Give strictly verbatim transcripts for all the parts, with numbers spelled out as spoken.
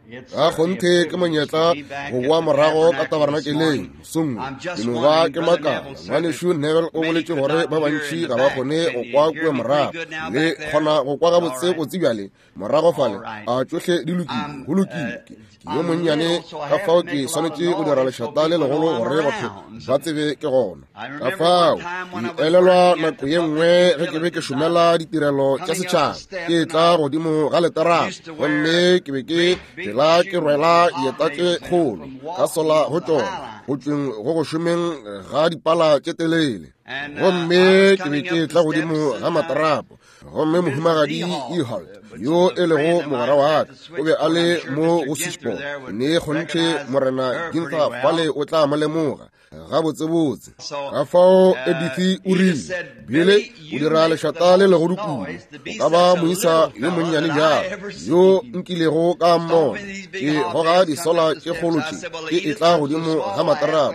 Ka kgonthe ke monyetla go boa morago ka tabernakeleng mosong wo. Ke no ba ke makala. Ngwanešu Neville o boletše gore ba bantši ga ba kgone go kwa kua morago. Le kgona go kwa gabotse botse bjale morago fale. A tšohle di lokile? Go lokile. Ke yo monnyane, ka fao ke swanetše go dira lešata le legolo gore batho ba tsebe ke gona. Ka fao ke elelwa nako ye nngwe ge ke be ke šomela ditirelo tša setšhaba, ke tla godimo ga leterata, gomme ke be ke phela ke rwela dieta tše kgolo ka sola go tšona go tšweng go go šomeng ga dipala tše telele. Gomme ke be ke tla godimo ga materapo, gomme mohumagadi Ehalt yo e lego mogwera wa ka o be a le mo go switchboard. Ne kgonthe Morena Ginther fale o tla mo lemoga gabotsebotse. Ka fao Edith o rile, Bile o dira lešata le legolo kudu, o ka ba moisa yo monnyane bjalo yo nkilego ka mmona. Ke goga disola tše kgolo tše ke etla godimo ga materapo.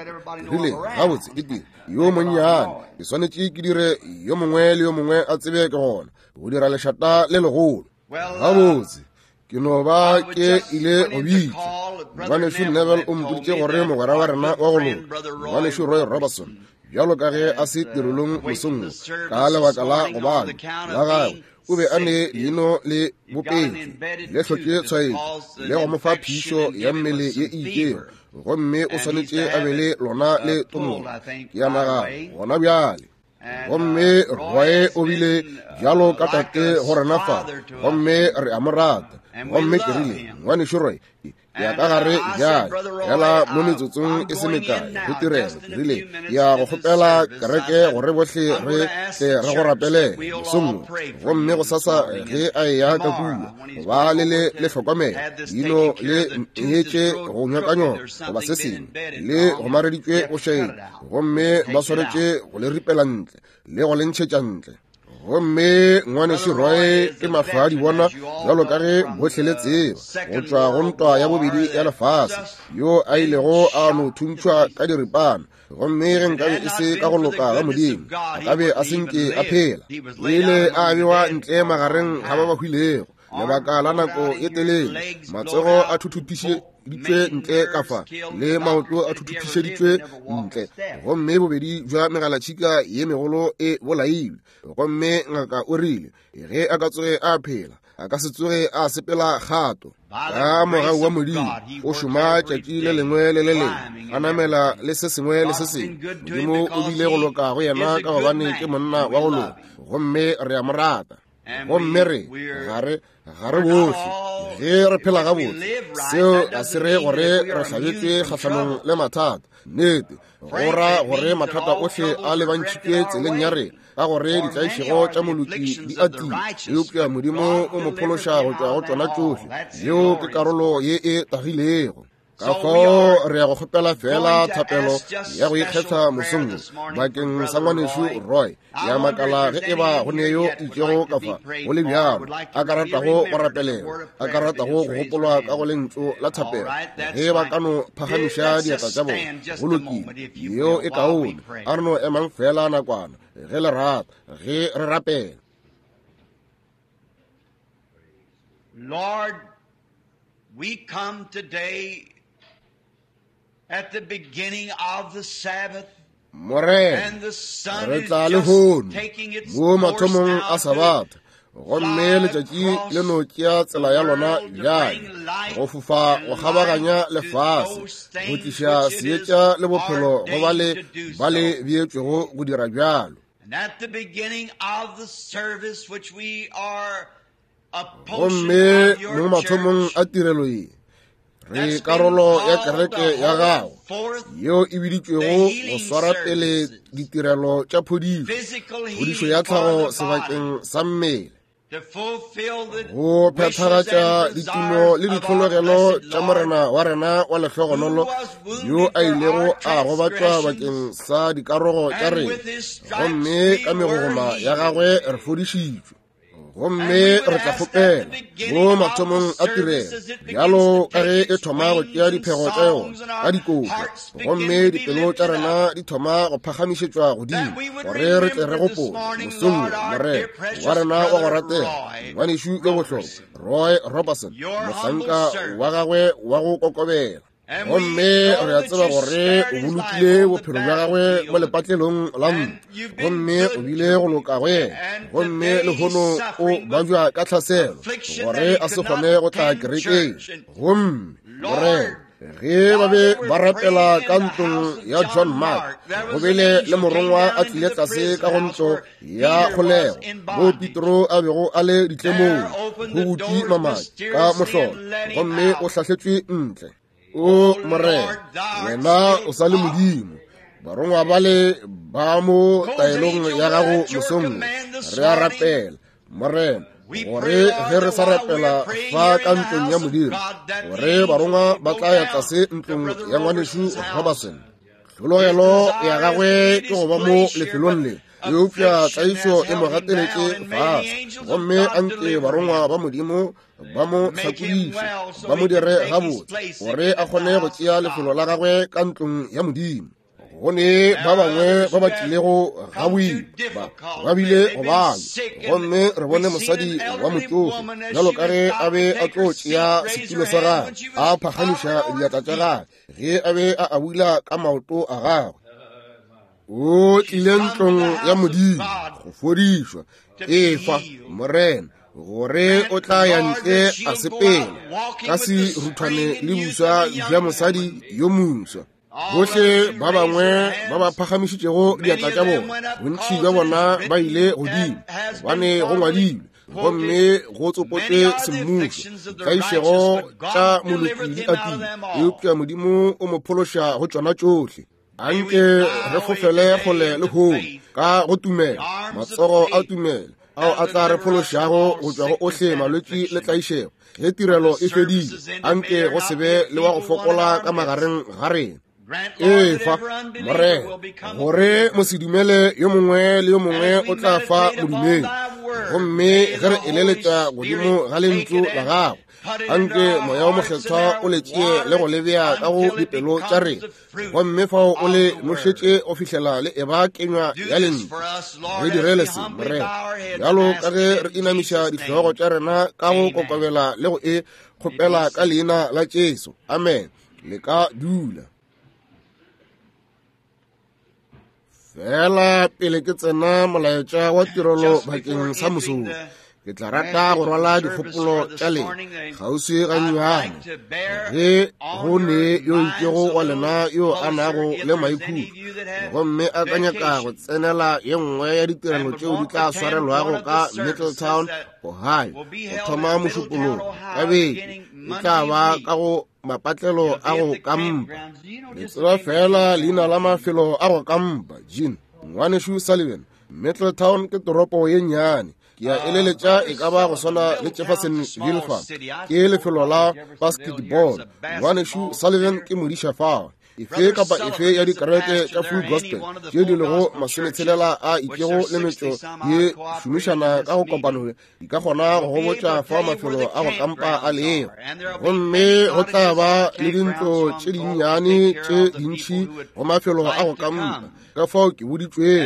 Ke rile, gabotse ete yo monnyane, ke swanetše ke dire yo mongwe le yo mongwe a tsebe ke gona go dira lešata le legolo. Gabotse ke no ba ke ile go bitša ngwanešu Neville o mpoditše gore mogwera wa rena wa go loka ngwanešu Roy Robertson, bjalo ka ge a se tirelong mosong wo ka lebaka la go bana la gagwe, o be a ne leino le bopetšwe le hlotše tshwaetšo le go mo fa phišo ya mmele ye e itšego, gomme o swanetše a be le lona le tomola. Ke a nagana gona bjale. Gomme Roy o bile bjalo ka tate go rena fa, gomme re a mo rata. Gomme ke rile, ngwanešu Roy, ke ya ka gare bjale fela mo metsotsong e se mekae go tirelo. Ke rile, ke ya go kgopela kereke gore bohle re tle re go rapelele mosong wo, gomme go sasa ge a eya ka kua go ba le le le hlokomela leino le neetše go nyokanyoka goba se sengwe le gomareditšwe go šaeng, gomme ba swanetše go le ripela ntle le go le ntšhetša ntle. Gomme ngwanešu Roy ke mahlo a di bona bjalo ka ge bohle le tseba, go tšwa go ntwa ya bobedi ya lefase, yo a ilego a no thuntšhwa ka diripana. Gomme ge nkabe e se ka go loka ga Modimo, a ka be a se nke a phela. O ile a bewa ntle magareng ga ba ba hwilego lebaka la nako e telele, matsogo a thuthupišeditšwe ntle ka fa le maoto a thuthupišeditšwe ntle, gomme bobedi bja megalatšhika ye megolo e bolailwe. Gomme ngaka o rile ge a ka tsoge a phela, a ka se tsoge a sepela kgato. Ka mogau wa Modimo o šoma tšatši le lengwe le le lengwe, a namela le se sengwe le se sengwe. Modimo o bile go loka go yena ka gobane ke monna wa go loka, gomme re a mo rata. Gomme re ga re ga re bohle ge re phela gabotse, seo ga se re gore re hlabetšwe kgahlanong le mathata. Nnete go ra gore mathata ohle a lebantšhitšwe tseleng ya rena, ka gore ditlaišego tša moloki di atile, eupša Modimo o mo phološa go tšwa go tšona tšohle. Yeo ke karolo ye e tagilego. Ka fao re ya go kgopela fela thapelo ya go ikgetha mosong wo bakeng sa ngwanešu Roy. Ya makala ge e ba go ne yo itšego ka fa go le bjalo a ka ratago go rapelelwa, a ka ratago go gopolwa ka go lentšu la thapelo, ge ba ka no phagamiša diatla tša bona. Go lokile, yeo e kaone. A re no emang fela nakwana ge le rata, ge re rapela. Lord, we come today at the beginning of the Sabbath. Morena, re tla lehono mo mathomong a Sabatha, gomme letšatši le no tšea tsela ya lona bjale go fofa go kgabaganya lefase, go tliša seetša le bophelo go ba le ba le beetšwego go dira bjalo. Gomme mo mathomong a tirelo ye, re karolo ya kereke ya gago yeo e biditšwego go swara pele ditirelo tša phodišo, phodišo ya tlhago sebakeng sa mmele, go phethagatša ditumo le ditlhologelo tša Morena wa rena wa lehlogonolo, yo a ilego a gobatšwa bakeng sa dikarogo tša rena, gomme ka megogoma ya gagwe re fodišitšwe. Gomme re tla kgopela mo mathomong a tirelo, bjalo ka ge e thoma go tšea diphego tša yona ka dikotlo, gomme dipelo tša rena di thoma go phagamišetšwa godimo, gore re tle re gopole mosong wo Morena wa rena wa go ratega, ngwanešu yo bohlokwa Roy Robertson, mohlanka wa gagwe wa go kokobela. Gomme re a tseba gore o bolokile bophelo bja gagwe mo lepatlelong la ntlo, gomme o bile go loka go yena, gomme lehono o babja ka tlhaselo gore a se kgone go tla kerekeng. Gomme Morena, ge ba be ba rapela ka ntlong ya John Mark, go bile le morongwa a tlile tlase ka go ntlo ya kgolego mo Petro a bego a le ditlemong, go butše mamati ka mohlolo, gomme o hlahletšwe ntle. O Morena, wena o sa le Modimo. Barongwa bale ba mo taelong ya gago mosong, re a rapela Morena, gore ge re sa rapela fa ka ntlong ya Modimo, gore barongwa ba tla ya tlase ntlong ya ngwanešu Robertson. Tlhologelo ya gagwe ke go ba mo lefelong le, eupša tlaišo e mo gateletše fase, gomme anke barongwa ba Modimo ba mo hlakodiše, ba mo dire gabotse, gore a kgone go tšea lefelo la gagwe ka ntlong ya Modimo. Go ne ba bangwe ba ba tlilego ga boima, ba ba bile go bana, gomme re bone mosadi wa motsofe bjalo ka ge a be a tlo tšea setulo sa gagwe, a phagamiša diatla tša gagwe ge a be a abula ka maoto a gagwe. O tlile ntlong ya Modimo go fodišwa. Efa Morena gore o tla ya ntle a sepela ka seruthwane le buswa bja mosadi yo moswa. Bohle ba bangwe ba ba phagamišitšego diatla tša bona, bontši bja bona ba ile godimo, gobane go ngwadilwe gomme go tsopotšwe semmušo, tlaišego tša moloki di atile, eupša Modimo o mo phološa go tšona tšohle. Anke re fofele kgole le lehono ka go tumelo, matsogo a tumelo ao a tla re phološago go tšwa go ohle malwetši le tlaišego. Ge tirelo e fedile, anke go se be le wa go fokola ka magareng ga rena. Efa Morena gore mosedumele yo mongwe le yo mongwe o tla fa modumedi, gomme ge re eleletša godimo ga lentšu la gago, anke moya o mokgethwa o le tšee le go le bea ka go dipelo tša rena, gomme fao o le nošetše go fihlela le eba kenywa ya lentšu. Re direle se Morena, bjalo ka ge re inamiša dihlogo tša rena ka go kokobela le go e kgopela ka leina la Jesu. Amen. Le ka dula. Fela pele ke tsena molaetša wa tirelo bakeng sa mosong, ke tla rata go rwala dikgopolo tša lena kgauswi gannyane. Ge go ne yo itšego wa lena yo a nago le maikhutšo, gomme a ka nyaka go tsenela ye nngwe ya ditirelo tšeo di tla swarelwago ka Middletown, Ohio, go thoma Mošupologo ka beke, e tla ba ka go mapatlelo a go kampa. Le tseba fela leina la mafelo a go kampa, Jean ngwanešu Sullivan. Middletown ke toropo ye nnyane, ke a eleletša e ka ba go swana le Jeffersonville fa, ke lefelo la basketball. Ngwanešu Sullivan ke modiša fao. Efe kapa efe ya dikereke tša Full Gospel tše di lego masometshelela a itšego le metšo ye šomišana ka go kopano, di ka kgona go gobotša fa mafelo a go kampa a lego. Gomme go tla ba le dintlo tše dinnyane tše dintši go mafelo a go kampa, ka fao ke boditšwego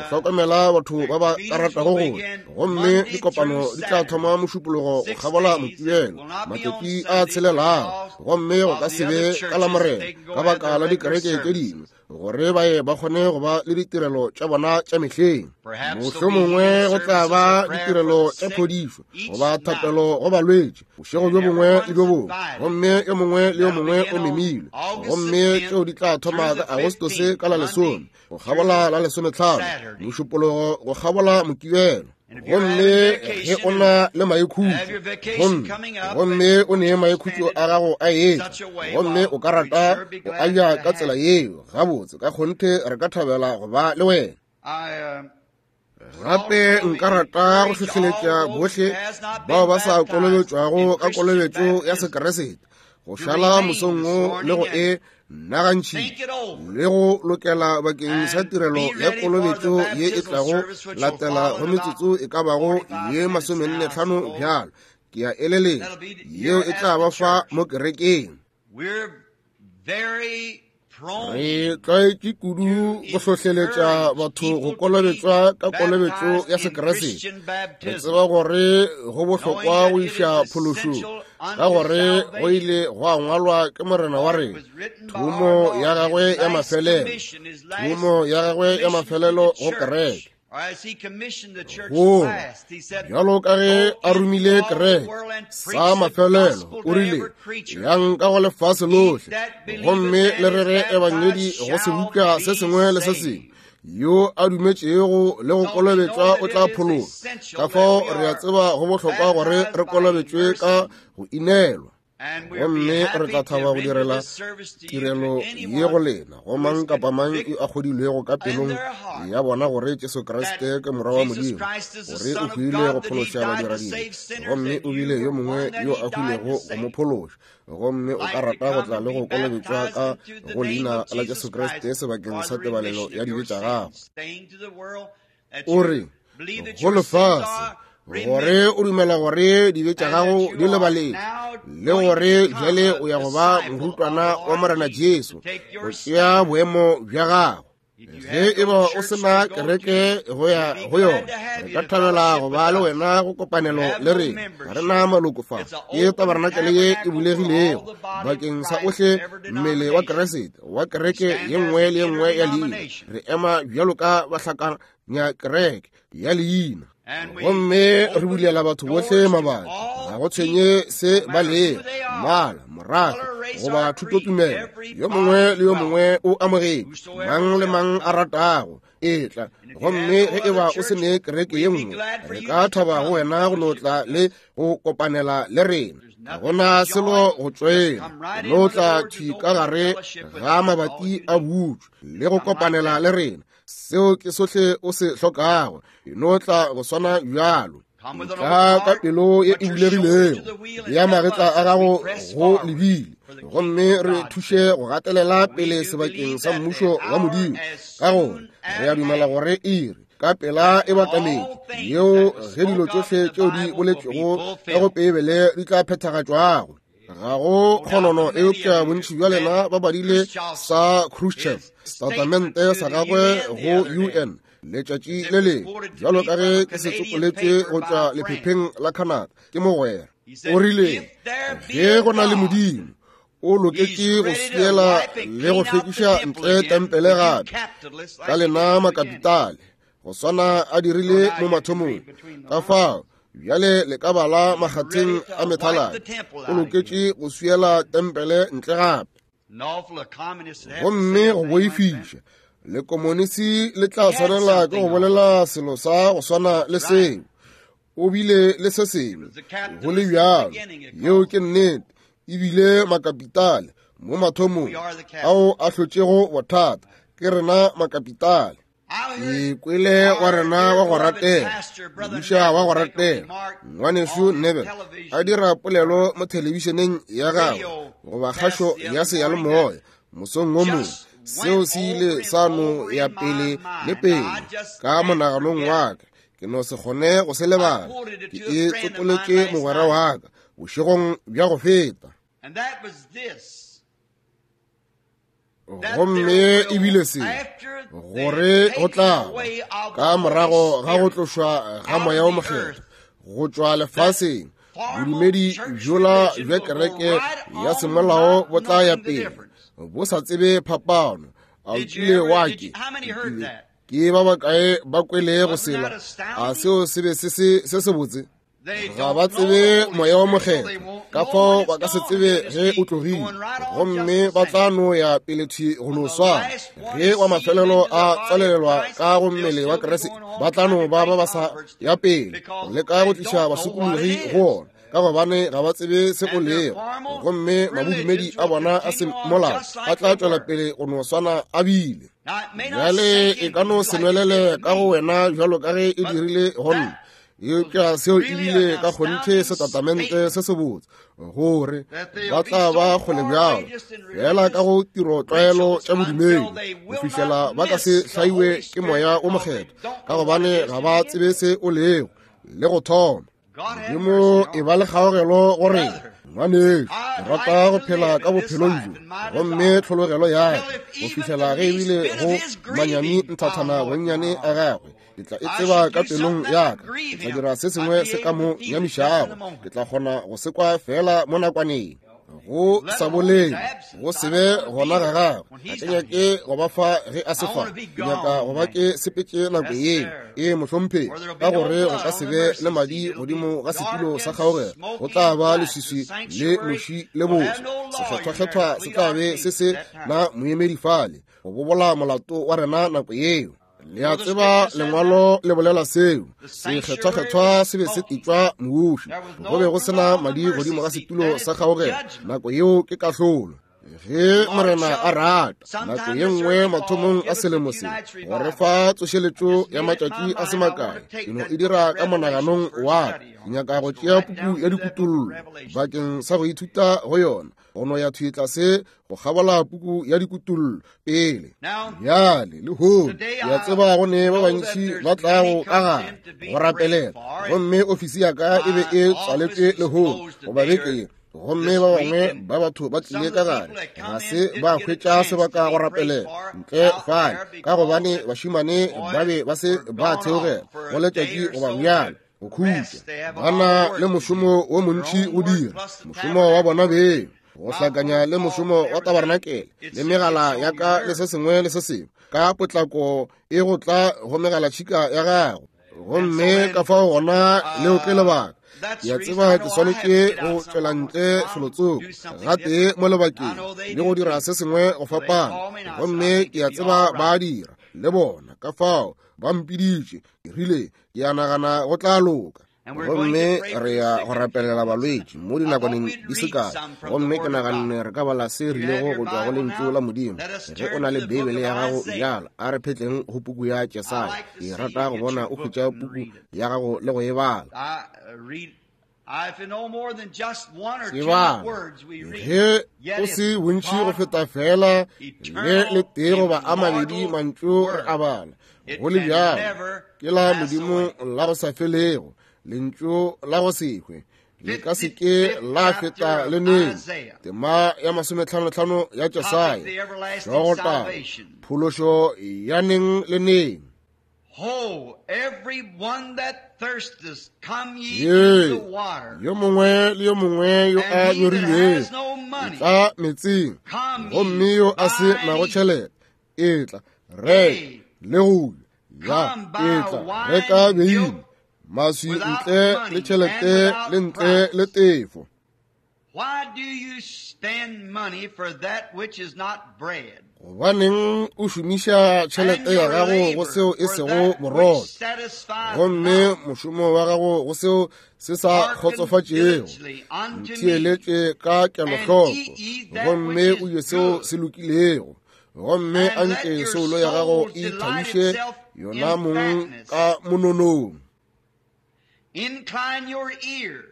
go hlokomela batho ba ba ka ratago go. Gomme dikopano di tla thoma Mošupologo go kgabola Mokibelo matšatši a tshelelago, gomme go ka se be ka Lamorena ka baka la dikereke tše dingwe, gore ba ye ba kgone go ba le ditirelo tša bona tša mehleng. Mohlomongwe go tla ba ditirelo tša phodišo goba thapelo go balwetši bošego bjo bongwe le bjo bongwe, gomme yo mongwe le yo mongwe o memilwe. Gomme tšeo di tla thoma ka Agostose ka la lesome go kgabola la lesometlhano, Mošupologo go kgabola Mokibelo. Gomme ge o na le maikhutšo, gomme gomme o ne maikhutšo a gago a etla, gomme o ka rata go aja ka tsela yeo, gabotse ka kgonthe re ka thabela go ba le wena. Gape nka rata go hlohleletša bohle bao ba sa kolobetšwago ka kolobetšo ya Sekeresete go šala mosong wo le go e nagantšhi le go lokela bakeng sa tirelo ya kolobetšo ye e tlago latela go metsotso e ka bago ye masomenne tlhano bjalo. Ke a eleletša yeo e tla ba fa mo kerekeng. Re tlwaetše kudu go hlohleletša batho go kolobetšwa ka kolobetšo ya Sekeresete. Re tseba gore go bohlokwa go iša phološong, ka gore go ile gwa ngwalwa ke Morena wa rena thomo ya gagwe ya mafelelo, thomo ya gagwe ya mafelelo go kereke. Go bjalo ka ge a romile kereke sa mafelelo, o rile, yang ka go lefase lohle gomme le rere ebangedi go sebopša se sengwe le se sengwe. Yo a dumetšego le go kolobetšwa o tla phologa. Ka fao re a tseba go bohlokwa gore re kolobetšwe ka go inelwa, gomme re tla thaba go direla tirelo ye go lena go mang kapa mang yo a kgodilwego ka pelong ya bona gore Jesu Kriste ke Morwa wa Modimo, gore o hwile go phološa badiradibe, gomme o bile yo mongwe yo a hwilego go mo phološa, gomme o ka rata go tla le go kolobetšwa ka go leina la Jesu Kriste sebakeng sa tebalelo ya dibe tša gago. O re go lefase gore o dumela gore dibe tša gago di lebaletšwe, le gore bjale o ya go ba morutwana wa Morena Jesu, go tšea boemo bja gago. Ge e ba o sena kereke go ya go yona, re ka thabela go ba le wena go kopanelo le rena. Ga re na maloko fa, ke tabarenakele ye e bulegilego bakeng sa ohle mmele wa Keresete wa kereke ye nngwe le ye nngwe ya leina. Re ema bjalo ka bahlakanya kereke ya leina, gomme re bulela batho bohle mabati. Ga go tshwenye se ba lego, mmala, morafe goba thutotumelo, yo mongwe le yo mongwe o amogetše, mang le mang a ratago etla. Gomme ge e ba o se ne kereke ye nngwe, re ka thaba go wena go no tla le go kopanela le rena. Ga gona selo go tšwela, no tla thwi ka gare ga mabati a butšwe le go kopanela le rena. Seo ke sohle o se hlokago, no tla go swana bjalo. Tla ka pelo ye e bulegilego, ya magetla a gago go lebile, gomme re thuše go gatelela pele sebakeng sa mmušo wa Modimo, ka gore re a dumela gore iri ka pela e batametše yeo ge dilo tšohle tšeo di boletšwego ka go Beibele di tla phethagatšwago. Ga go kgonono, eupša bontši bja lena ba badile sa Khrushchev setatamente sa gagwe go U N letšatši le lengwe, bjalo ka ge ke se tsopoletše go tšwa lephepheng la Canada ke mogwera. O rile, ge go na le Modimo, o loketše go swiela le go hlwekiša ntle tempele gape ka lena makapitale, go swana a dirile mo mathomong. Ka fao bjale le ka bala makgatheng a methaladi, o loketše go swiela tempele ntle gape. Gomme go boifiša, le komonisi le tla swanela ke go bolela selo sa go swana le seo. O bile le se sengwe go le bjalo, yeo ke nnete, ebile makapitale mo mathomong ao a hlotšego bothata ke rena makapitale. Ke kwele wa rena wa go ratega, modiša wa go ratega, ngwanešu Neville, a dira polelo mo thelebišeneng ya gagwe goba kgašo ya seyalemoya mosong wo mongwe. Seo se ile sa no ya pele le pele ka monaganong wa ka, ke no se kgone go se lebala. Ke e tsopoletše mogwera wa ka bošegong bja go feta, gomme ebile se gore go tla ka morago ga go tlošwa ga moya o mokgethwa go tšwa lefaseng, bodumedi bjola bja kereke ya semolao bo tla ya pele bo sa tsebe phapano. A o kile wa ke ke ba bakae ba kwele go sela? A seo se be se se se botse? Ga ba tsebe moya wa mokgethwa, ka fao ba ka se tsebe ge o tlogile, gomme ba tla no ya pele thwi go no swana. Ge wa mafelelo a tswalelelwa ka go mmele wa Keresete, ba tla no ba ba ba sa ya pele go leka go tliša basokologi go ona, ka gobane ga ba tsebe se o lego, gomme mabodumedi a bona a semolao a tla tšwela pele go no swana a bile. Bjale e ka no se nwelele ka go wena bjalo ka ge e dirile go nna. Eupša seo ebile ka kgonthe setatamente se sebotse gore ba tla ba kgole bjalo fela ka go tiro tlwaelo tša bodumedi go fihlela ba ka se hlaiwe ke moya o mokgethwa, ka gobane ga ba tsebe se o lego le go thoma. Modimo e ba le kgaogelo go rena. Ngwanešu, ke rata go phela ka bophelong bjo, gomme tlhologelo ya ka go fihlela ge ebile go manyami nthathana bonnyane a gagwe, ke tla e tseba ka pelong ya ka, ke tla dira se sengwe se ka mo nyamišago, ke tla kgona go se kwa fela mo nakwaneng. Go sa bolele, go se be gona ga gagwe, ga ke nyake go ba fa ge a se fa, ke nyaka go ba ke sepetše nako yeo. Ee, mohlomphegi, ka gore go ka se be le madi godimo ga setulo sa kgaogelo, go tla ba leswiswi le moši le boso. Sekgethwakgethwa se tla be se se na moemedi fale go bobola molato wa rena nako yeo. Le a tseba lengwalo le bolela seo. Sekgethwakgethwa se be se etšwa mouši, go be go sena madi godimo ga setulo sa kgaogelo nako yeo ke kahlolo. Ge Morena a rata, nako ye nngwe mathomong a selemo se, go re fa tsošeletšo ya matšatši a se makae, ke no e dira ka monaganong wa ka. Ke nyaka go tšea puku ya dikutollo bakeng sa go ithuta go yona, go no ya thwi tlase go kgabola puku ya dikutollo pele. Bjale lehono ke a tseba go ne ba bantši ba tlago ka gare go rapelela, gomme ofisi ya ka e be e tswaletšwe lehono goba beke ye, gomme ba bangwe ba batho ba tlile ka gare ga se ba hwetša sebaka go rapelela ntle fale, ka gobane bašemane ba be ba se ba theogela go letšatši goba bjalo go khutša. Ba na le mošomo wo montši go dira, mošomo wa bona beng, go hlakanya le mošomo wa tabarenakele le megala ya ka le se sengwe le se sengwe ka potlako e go tla go megalatšhika ya gago. Gomme ka fao gona leo ke lebaka. Ke a tseba ke swanetše go tšwela ntle felotsoko gatee mo lebakeng le go dira se sengwe go fapana, gomme ke a tseba ba dira le bona, ka fao ba mpiditše. Ke rile ke a nagana go tla loka. Gomme re ya go rapelela balwetši mo dinakwaneng di se kae, gomme ke naganne re ka bala se rilego go tšwa go lentšu la Modimo. Ge o na le Beibele ya gago bjalo, a re phetleng go puku ya Jesaya. Ke rata go bona o hwetša puku ya gago le go e bala. Tsebang, ge o se bontši go feta fela le le tee goba a mabedi mantšu re a bala, go le bjalo ke la Modimo la go sa felego, lentšu la go se hwe, le ka se ke la feta le neng. Tema ya masometlhanotlhano ya Jesaya, hlogotaba, phološo ya neng le neng. Ho, every one that thirsteth, come ye Ye, to the water. yo mongwe le yo mongwe yo a And he that nyorilwego, has no money, etla metseng, come ye, gomme yo a se buy nago and eat. tšhelete, etla reka le go ja, Come buy etla wine reka beine, milk maswi without ntle money le tšhelete and without le ntle price. le tefo. Why do you spend money for that which is not bread? Gobaneng o šomiša And tšhelete ya your gago go labor seo e for sego that which borotho, satisfieth gomme not? mošomo wa gago go seo se sa Hearken kgotsofatšego. diligently unto me, Ntheeletše ka and kelohloko, eat ye that gomme which o is je seo good, se lokilego, gomme and let anke your soulo ya gago souls e delight ithabiše itself yona in mong fatness. ka mononong. Incline your ear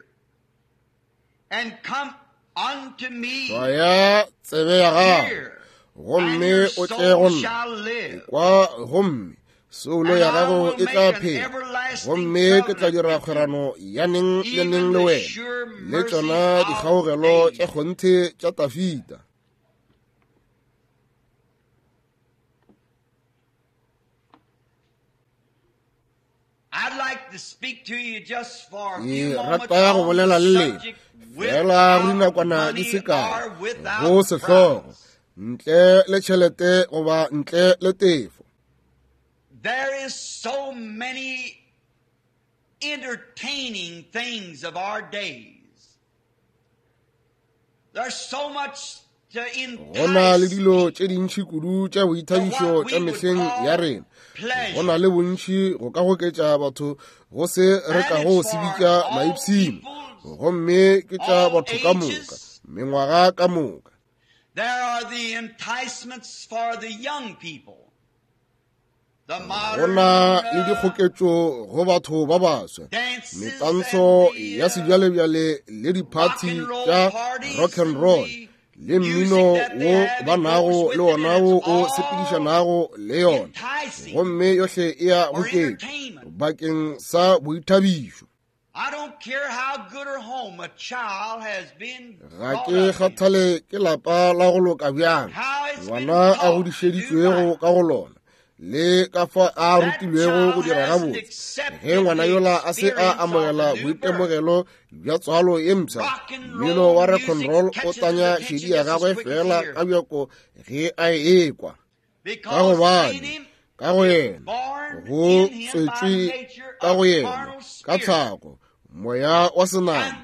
and come unto me. Hlwaya tsebe ya gago, Hear, and gomme your o tle soul go nna. shall live. Kwa gomme soulo And ya I gago will e tla make an phela, everlasting gomme ke tla covenant dira with you, kgwerano ya neng le even neng le the wena, sure le mercies tšona of dikgaogelo tša David. kgonthe tša Tafita. I'd like to speak to you just for a few Ke moments rata go on the bolela le lena subject fela go without dinakwana di money se kae or without go sehlogo, price. ntle le tšhelete goba ntle le tefo. There is so many entertaining things of our days. There's so much to Go na le entice dilo people tše dintši kudu tša to boithabišo what tša we would mehleng ya call rena. Go na pleasure. le bontši go ka goketša batho go se re And kago it's se for bitša all maipshino, peoples, gomme ke tša all batho ka moka, ages. mengwaga ka moka. There are the enticements for the young people, Go na le dikgoketšo go batho ba baswa, metantsho ya sebjalebjale le diphathi tša rock and roll le mmino wo ba nago le wona wo o sepedišanago le yona, gomme yohle e ya goketšo bakeng sa boithabišo. Ga ke kgathale ke lapa la go loka bjang ngwana a godišeditšwego ka go lona le ka fa a rutilwego go dira gabotse. Ge ngwana yola a se a amogela boitemogelo bja tswalo ye mpsha, mmino wa rock and roll o tanya šedi ya gagwe fela ka bjako ge a ekwa, ka gobane ka go yena go tswetšwe ka go yena ka tlhago moya wa senama,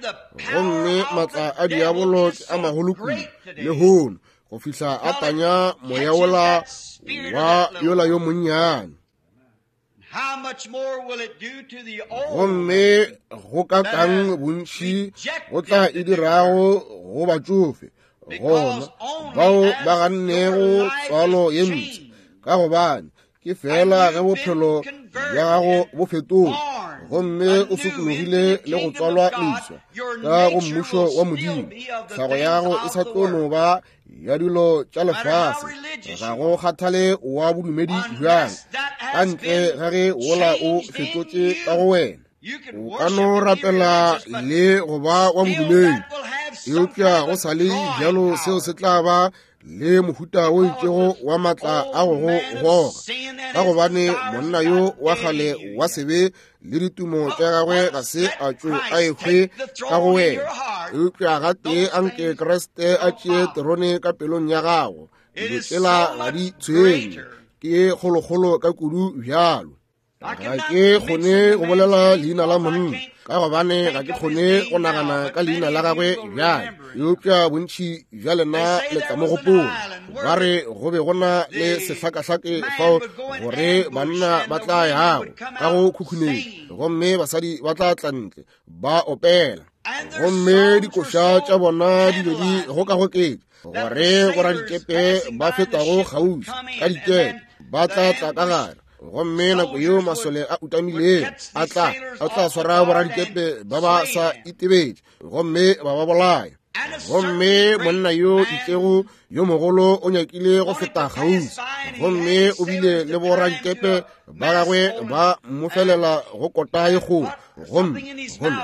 gomme maatla a diabolo ke a magolo kudu lehono go fihla a tanya moya wola wa yola yo monnyane. Gomme go ka kang bontši go tla e dirago go batšofe gona bao ba gannego tswalo ye mpsha, ka gobane ke fela ge bophelo bja gago bo fetoga gomme o sokologile le go tswalwa leswa ka go mmušo wa Modimo, tlhago ya gago e sa tlo no ba ya dilo tša lefase. Ga go kgathale wa bodumedi bjang, ka ntle ga ge wola o fetotše ka go wena. O ka no rapela le go ba wa bodumedi, eupša go sa le bjalo seo se tla ba le mohuta o itšego wa maatla a go go goga, ka gobane monna yo wa kgale wa sebe le ditumo tša gagwe ga se a tšo a ehwe ka go wena. Eupša gatee anke Kriste a tšee terone ka pelong ya gago, dilo tšela ga di tshwenye, ke kgolokgolo ka kudu bjalo. Ga ke kgone go bolela leina la monna ka gobane ga ke kgone go nagana ka leina la gagwe bjale, eupša bontši bja lena le tla mo gopola. Ba re go be go na le sehlakahlake fao gore banna ba tla yago ka go khukhunetša, gomme basadi ba tla tla ntle ba opela, gomme dikoša tša bona di be di gokagoketša gore boradikepe ba fetago kgauswi ka dikepe ba tla tla ka gare. Gomme nako yeo masole a utamilego a tla a tla swara boradikepe ba ba sa itebetše gomme ba ba bolaya. Gomme monna yo itšego yo mogolo o nyakile go feta kgauswi, gomme o bile le boradikepe ba gagwe ba mmofelela go kota ye kgolo, gomme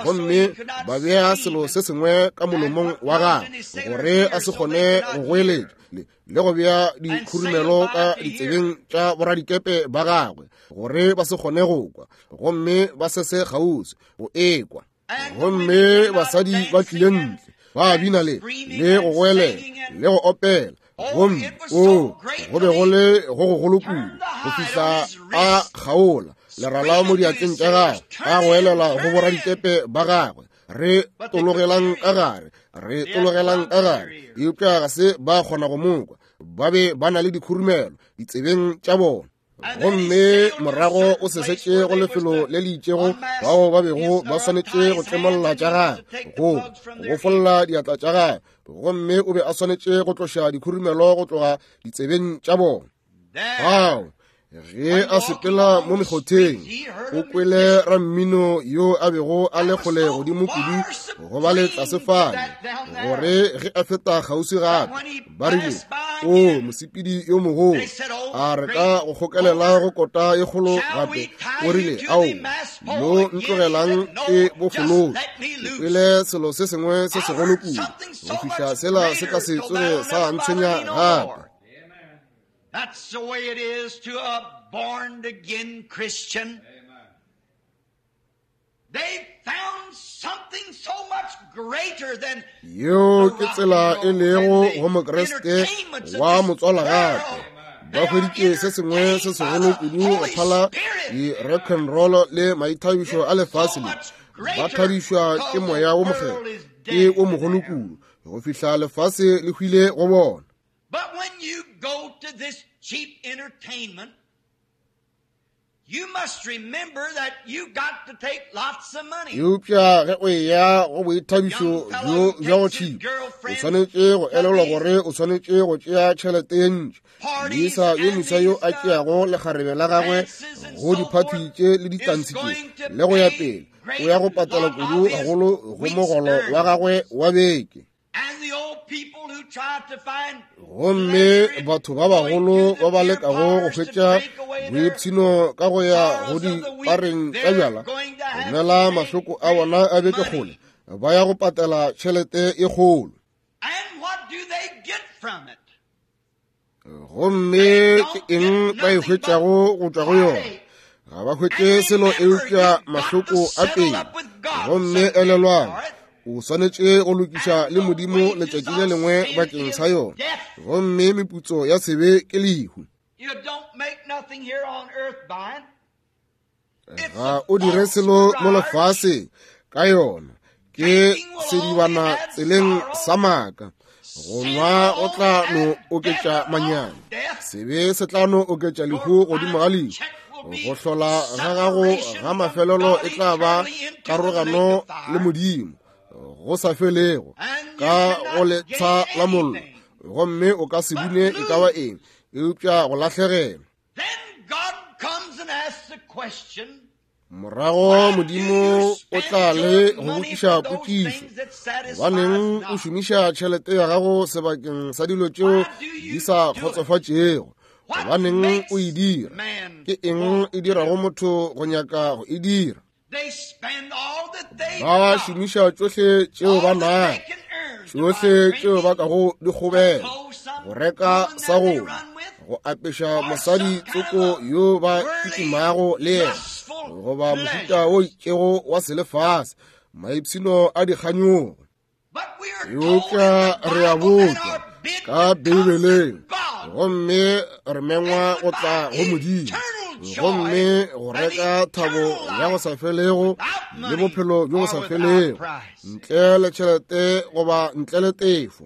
gomme ba bea selo se sengwe ka molomong wa gagwe gore a se kgone go goeletša, le go bea dikhurumelo ka ditsebeng tša boradikepe ba gagwe gore ba se kgone go kwa, gomme ba se se kgauswi go ekwa. Gomme basadi ba tlile ntle ba bina le le go goelela le go opela, gomme o go be go le go gogolo kudu go fihla a kgaola lerala mo diatleng tša gagwe a goelela go boradikepe ba gagwe, re tologelang ka gare, re tologelang ka gare. Eupša ga se ba kgona go mokwa, ba be ba na le dikhurumelo ditsebeng tša bona. Gomme morago o sesetše go lefelo le le itšego bao ba bego ba swanetše go tlemolla tša gagwe go go folla diatla tša gagwe, gomme o be a swanetše go tloša dikhurumelo go tloga ditsebeng tša bona. Ao ge a sepela mo mekgotheng o kwele rammino yo a bego a le kgole godimo kudu go ba le tlase fale, gore ge a feta kgauswi gape ba rile, o mosepedi yo mogolo, a re ka go kgokelela go kota ye kgolo gape. O rile, ao mo ntlogelang ke bofolotse, ke kwele selo se sengwe se segolo kudu go fihla sela se ka se tsoge sa ntshwenya gape. That's the way it is to a born-again Christian. They found something so much greater than yeo ke tsela e lego go Mokriste wa motswala gape. Ba hweditše se sengwe se segolo kudu go phala di-rock and roll le maithabišo a lefase le. Ba thabišwa ke moya wo mokgethwa, ke o mogolo kudu go fihla lefase le hwile go bona. But when you go to this cheap entertainment, Eupša ge o eya go boithabišo bjo bja go tšhipa, o swanetše go elelwa gore o swanetše go tšea tšhelete ye ntši. Moisa yo moswa yo a tšeago lekgarebe la gagwe go diphathi tše le ditantshi tše le go ya pele, o ya go patela kudu gagolo go mogolo wa gagwe wa beke. Gomme batho ba bagolo ba ba lekago go hwetša boipshino ka go ya go dipareng tša bjala, go nwela mahloko a bona a beke kgole, ba ya go patela tšhelete e kgolo. Gomme ke eng ba e hwetšago go tšwa go yona? Ga ba hwetše selo eupša mahloko a pele. Gomme elelwang, o swanetše go lokiša le Modimo letšatši le lengwe bakeng sa yona. Gomme meputso ya sebe ke lehu. Ga o dire selo mo lefaseng ka yona, ke sedibana tseleng sa maaka. Go nwa go tla no oketša manyami, sebe se tla no oketša lehu godimo ga lehu. Go hlola ga gago ga mafelelo e tla ba karogano le Modimo go sa felego ka go letsha la mollo, gomme o ka se bune e ka ba eng eupša go lahlegelwa. Morago Modimo o tla le go botšiša potšišo, gobaneng o šomiša tšhelete ya gago sebakeng sa dilo tšeo di sa kgotsofatšego? Gobaneng o e dira? Ke eng e dirago motho go nyaka go e dira? Ba šomiša tšohle tšeo ba nago, tšohle tšeo ba kago di kgobela, go reka sa go go apeša mosadi tsoko yo ba kitimago le yena, goba mohuta o itšego wa selefase, maipshino a dikganyogo. Eupša re a botšwa ka Beibeleng, gomme re mengwa go tla go Modimo, gomme go reka thabo ya go sa felego le bophelo bjo bo sa felego ntle le tšhelete goba ntle le tefo.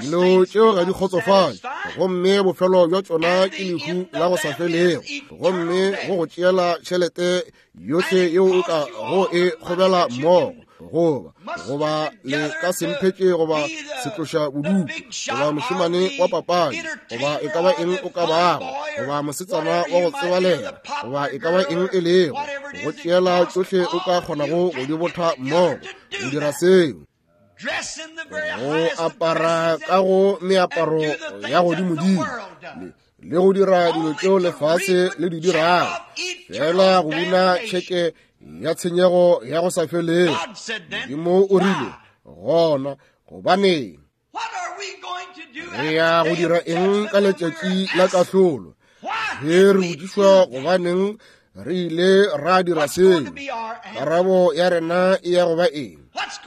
Dilo tšeo ga di kgotsofatše, gomme bofelo bja tšona ke lehu la go sa felego, gomme go go tšeela tšhelete yohle yeo o ka go e kgobela mmogo, goba goba le ka semphetše goba setloša bodutu goba mošemane wa papadi goba e ka ba eng o ka bago, goba mosetsana wa go tsebalega goba e ka ba eng e lego, go tšeela tšohle o ka kgonago go di botha mmogo go dira seo. Go apara ka go meaparo ya godimodimo le go dira dilo tšeo lefase le di dirago, fela go buna tšheke ya tshenyego ya go sa felego. Modimo o rile gona, gobaneng re ya go dira eng ka letšatši la kahlolo? Ge re botšišwa gobaneng re ile ra dira seo, karabo ya rena e ya go ba eng?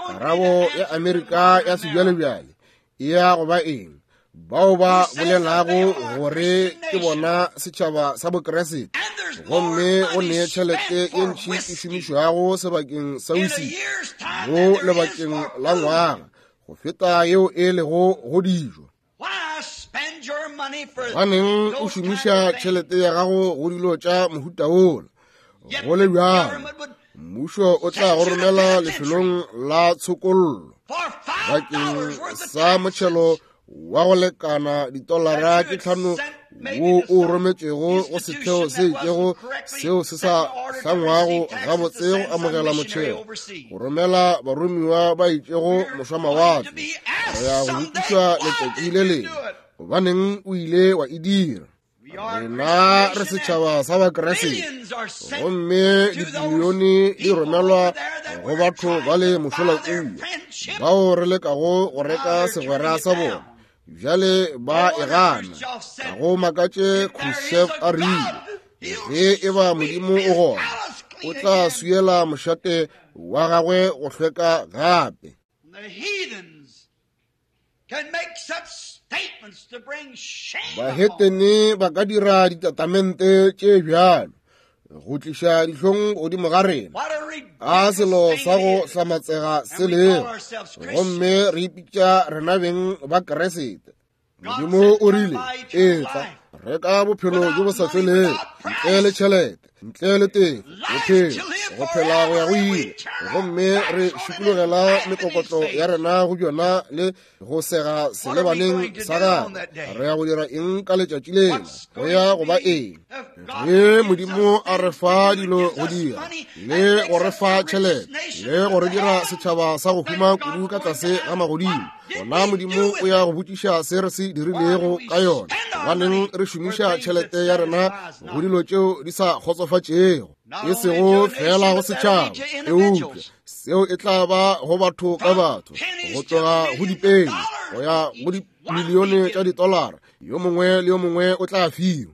Karabo ya Amerika ya sebjalebjale e ya go ba eng? Bao ba bolelago gore ke bona setšhaba sa Bokeresete, gomme go ne tšhelete ye ntši e šomišwago sebakeng sa whisky mo lebakeng la ngwaga go feta yeo e lego go dijo. Gobaneng o šomiša tšhelete ya gago go dilo tša mohuta wola? Go le bjalo, mmušo o tla go romela lefelong la tshokollo bakeng sa motšhelo wa go lekana ditolara tše tlhano wo o rometšego go setheo se itšego seo se sa hlangwago gabotse go amogela motšhelo, go romela baromiwa ba itšego mošwamawatle. Re ya go botšišwa letšatši le lengwe, gobaneng o ile wa e dira? Rena re setšhaba sa Bakeresete, gomme dibilione di romelwa go batho ba le mošola kua bao re lekago go reka segwera sa bona. Bjale ba e gana. Ga go makatše Khrushchev a rile, ge e ba Modimo o gona, o tla swiela mošate wa gagwe go hlweka gape. Bahetene ba ka dira ditatamente tše bjalo go tliša dihlong godimo ga rena, a selo sa go hlamatsega se lego, gomme re ipitša rena beng ba Keresete. Modimo o rile, etla Reka bophelo bjo bo sa felego ntle le tšhelete, ntle le tefo, bophelo go phela go ya go ile. Gomme re šikologela mekokotlo ya rena go bjona le go sega selebaneng sa gagwe. Re ya go dira eng ka letšatši lela? Go ya go ba eng? Ge Modimo a re fa dilo go dira le go re fa tšhelete le go re dira setšhaba sa go huma kudu ka tlase ga magodimo, gona Modimo o ya go botšiša se re se dirilego ka yona. Gobaneng re šomiša tšhelete ya rena go dilo tšeo di sa kgotsofatšego, e sego fela go setšhaba, eupša seo e tla ba go batho ka batho, go tloga go dipeni go ya go dimilione tša ditolara, yo mongwe le yo mongwe o tla fiwa.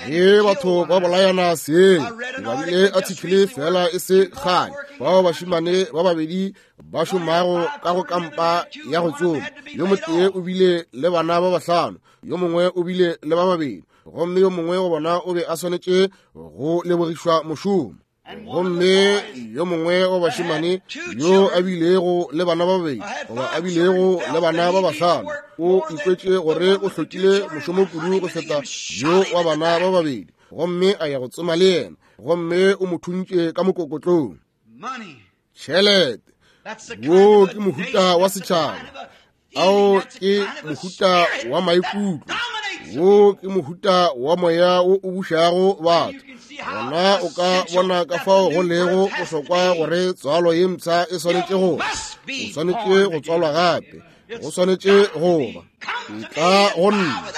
Ge batho ba bolayana seng, ke badile article fela e se kgale, bao bašemane ba babedi ba šomago ka go kampa ya go tsoma, yo motee o bile le bana ba bahlano, yo mongwe o bile le ba babedi, gomme yo mongwe go bona o be a swanetše go lebogišwa mošomo. Gomme yo mongwe wa bašemane yo a bilego le bana ba babedi goba a bilego le bana ba bahlano o ikwetše gore o hlokile mošomo kudu go feta yo wa bana ba babedi, gomme a ya go tsoma le yena, gomme o mo thuntše ka mokokotlong. Tšhelete, wo ke mohuta wa setšhaba, ao ke mohuta wa maikutlo, wo ke mohuta wa moya wo o bušago batho. Gona o ka bona ka fao go lego bohlokwa gore tswalo ye mpsha e swanetše go o swanetše go tswalwa gape, go swanetše go ba etla go nna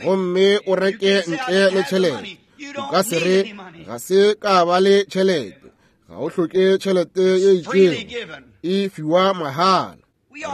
gomme o reke ntle le tšhelete. O ka se re ga se ka ba le tšhelete, ga o hloke tšhelete ye itšego, e fiwa mahala.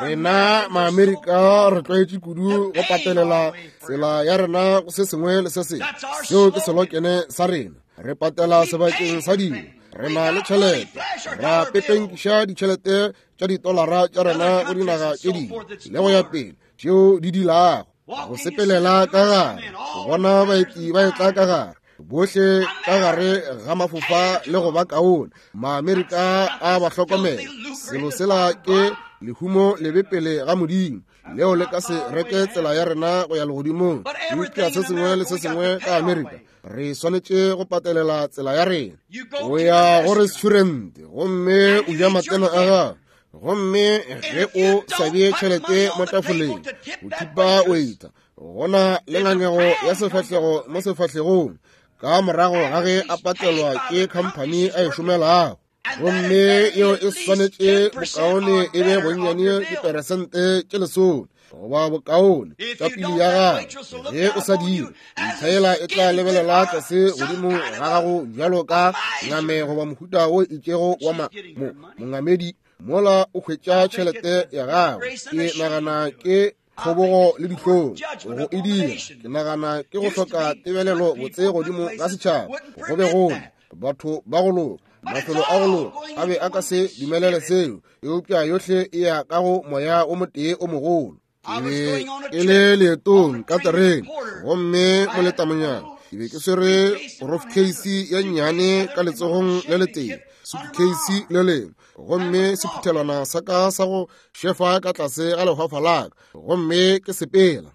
Rena Maamerika re tlwaetše kudu go patelela tsela ya rena go se sengwe le se sengwe. Seo ke selokene sa rena. Re patela sebakeng sa dilo, re na le tšhelete, ra pepenkiša ditšhelete tša ditolara tša rena go dinaga tše dingwe le go ya pele tšeo di dilago. Go sepelela ka gare, go bona baeti ba etla ka gare, bohle ka gare ga mafofa le go ba kaone. Maamerika a ba hlokomela. Selo sela ke lehumo lebe pele ga Modimo, leo le ka se reke tsela ya rena go ya legodimong. Eupša se sengwe le se sengwe ka Amerika re swanetše go patelela tsela ya rena. O ya go restaurant gomme o ja matena a gago, gomme ge o sa bee tšhelete mo tafoleng o thipa waiter, gona le ngangego ya sefahlego mo sefahlegong ka morago ga ge a patelwa ke khamphani a e šomelago. Gomme yeo e swanetše bokaone e be bonnyane diperesente tše lesome goba bokaone tša pili ya gago. Ge o sa dire, ntlha e tla lebelela tlase godimo ga gago bjalo ka ngame goba mohuta wo itšego wa mongamedi mola o hwetša tšhelete ya gago. Ke nagana ke kgobogo le dihlong go e dira. Ke nagana ke go hloka tebelelo botse godimo ga setšhaba. Go be gole batho ba go loka, mafelo a go loka a be a ka se dumelele seo, eupša yohle e ya ka go moya o motee o mogolo. Ke be ke le leetong ka terene, gomme moletamonyana ke be ke swere briefcase ya nnyane ka letsogong le letee, suitcase le lengwe, gomme sephuthelwana sa ka sa go šefa ka tlase ga lehwafa la ka, gomme ke sepela.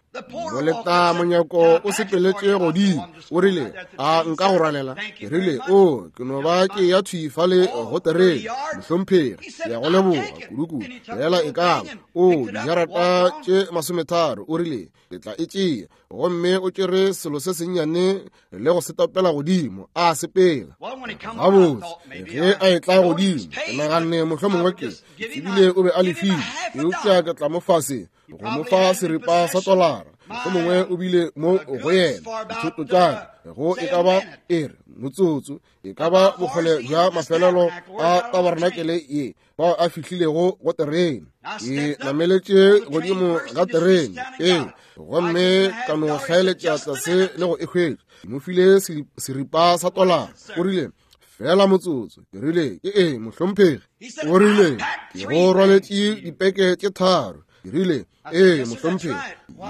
Moleta monyako o sepeletše godimo, o rile, a nka go rwalela? Ke rile, o ke no ba ke ya thwi fale go terene, mohlomphegi, ke ya go leboga kudu-kudu, fela e ka ba o dijarata tše masometharo. O rile, ke tla e tšea. Gomme o tšere selo se sennyane le go se topela godimo, a sepela. Gabotse, ge a etla godimo, ke naganne mohlomongwe ke tsebile o be a lefile, eupša ke tla mo fase go mo fa seripa sa tolara. Mohlomongwe o bile mo go yena dithoto tša ka go e ka ba e re motsotso, e ka ba bokgole bja mafelelo a tabarenakele ye bao a fihlilego go terene. Ke nameletše godimo ga terene ee, gomme ka no hlaeletša tlase le go e hwetša. Ke mo file seripa sa tolara. O rile, fela motsotso. Ke rile, ke eng mohlomphegi? O rile, ke go rwaletše dipeke tše tharo. Ke rile, ee mohlomphegi,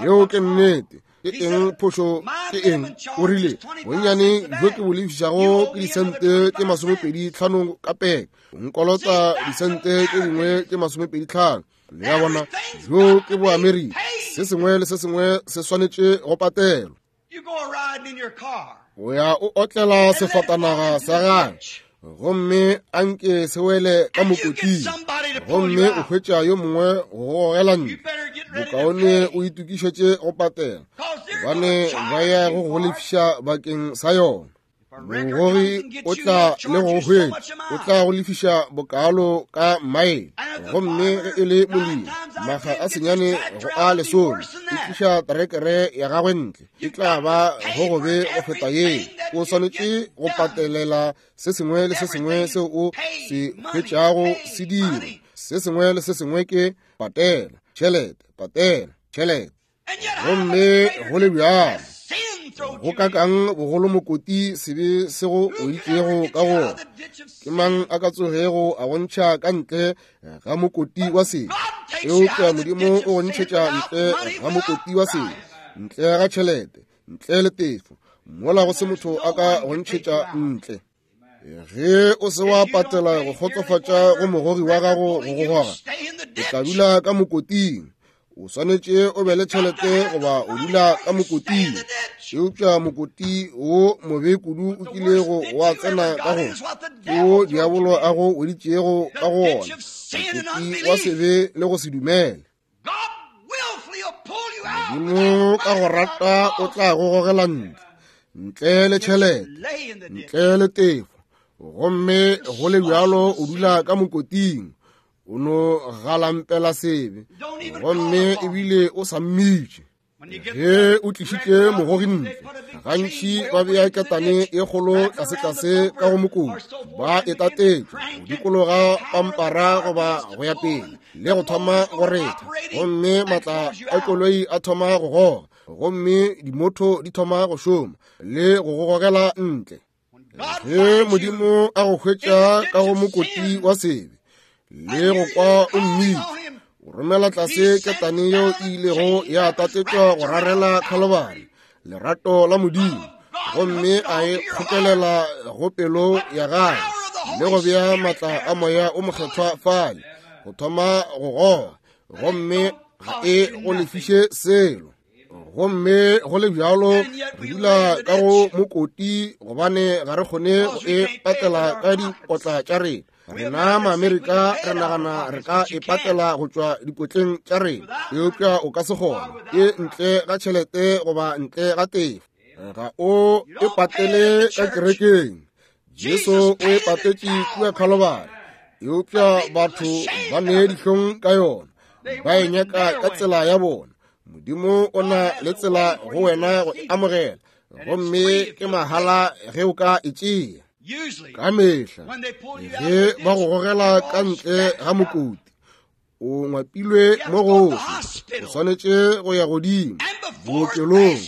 yeo ke nnete. Ke eng phošo? Ke eng? O rile, bonnyane bjo ke bo lefišago ke disente tše masomepedi tlhano ka peke, o nkolota disente tše dingwe tše masomepedi tlhano. Le ya bona, bjo ke boAmerika. Se sengwe le se sengwe se swanetše go patelwa. O ya o otlela sefatanaga sa gagwe, gomme a nke se wele ka mokoting, gomme o hwetša yo mongwe go gogela ntle. Bokaone o itokišetše go patela, gobane ba ya go go lefiša bakeng sa yona. Mogogi o tla le go hwetša, o tla go lefiša bokalo ka maele. Gomme ge e le molemi, maga a senyane go a lesome, e tliša terekere ya gagwe ntle, e tla ba go gobe go feta yeo. O swanetše go patelela se sengwe le se sengwe seo o se hwetšago se dira. Se sengwe le se sengwe ke patela, tšhelete, patela, tšhelete. Gomme go le bjalo, go kakang bogolo mokoti sebe se go oitšego ka gona? Ke mang a ka tsogego a bontšha ka ntle ga mokoti wa sebe? Eupša Modimo o go ntšhetša ntle ga mokoti wa sebe, ntle ga tšhelete, ntle le tefo, mola go se motho a ka go ntšhetša ntle. Ge o se wa patela go kgotsofatša go mogogi wa gago go go goga, o tla dula ka mokoting. O swanetše o be le tšhelete goba o dula ka mokoting. Eupša mokoti wo mobe kudu o kilego wa tsena ka go ke wo diabolo a go weditšego ka go wona, mokoti wa sebe le go se dumele. Modimo ka go rata o tla go gogela ntle, ntle le tšhelete, ntle le tefo, gomme go le bjalo o dula ka mokoting. O no galampela sebe, gomme ebile o sa mmitše. Ge o tlišitše mogogi ntle, gantši ba bea ketane e kgolo tlasetlase ka go mokoti, ba e tatetša go dikologa pampara goba go ya pele, le go thoma go retha, gomme matla a koloi a thoma go goga, gomme dimotho di thoma go šoma le go go gogela ntle. Ge Modimo a go hwetša ka go mokoti wa sebe le go kwa o mmitše, o romela tlase ketane yeo e ilego ya tatetšwa go rarela Khalibari, lerato la Modimo, gomme a e kgokelela go pelo ya gagwe le go bea matla a moya o mokgethwa fale go thoma go goga, gomme ga e go lefiše selo. Gomme go le bjalo re dula ka go mokoti, gobane ga re kgone go e patela ka dipotla tša rena. Rena Maamerika re nagana re ka e patela go tšwa dipotleng tša rena, eupša o ka se kgone, ke ntle ga tšhelete goba ntle ga tefo. Ga o e patele ka kerekeng. Jesu o e patetše kua Khalibari, eupša batho ba ne dihlong ka yona, ba e nyaka ka tsela ya bona. Modimo o na le tsela go wena go e amogela, gomme ke mahala ge o ka e tšea. Ka mehla ge ba go gogela ka ntle ga mokoti, o ngwapilwe mo gohle, o swanetše go ya godimo bookelong,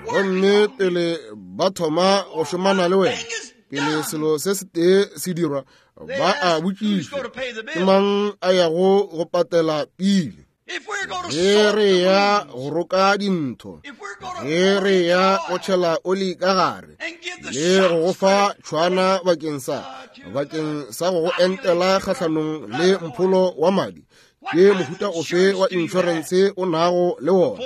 gomme pele ba thoma go šomana le wena, pele selo se setee se dirwa, ba a botšiša ke mang a yago go patela pele. Ge re ya go roka dintho, ge re ya go tšhela oli ka gare le go go fa tšhwana bakeng sa bakeng sa go go entela kgahlanong le mpholo wa madi, ke mohuta ofe wa inšorense o nago le wona?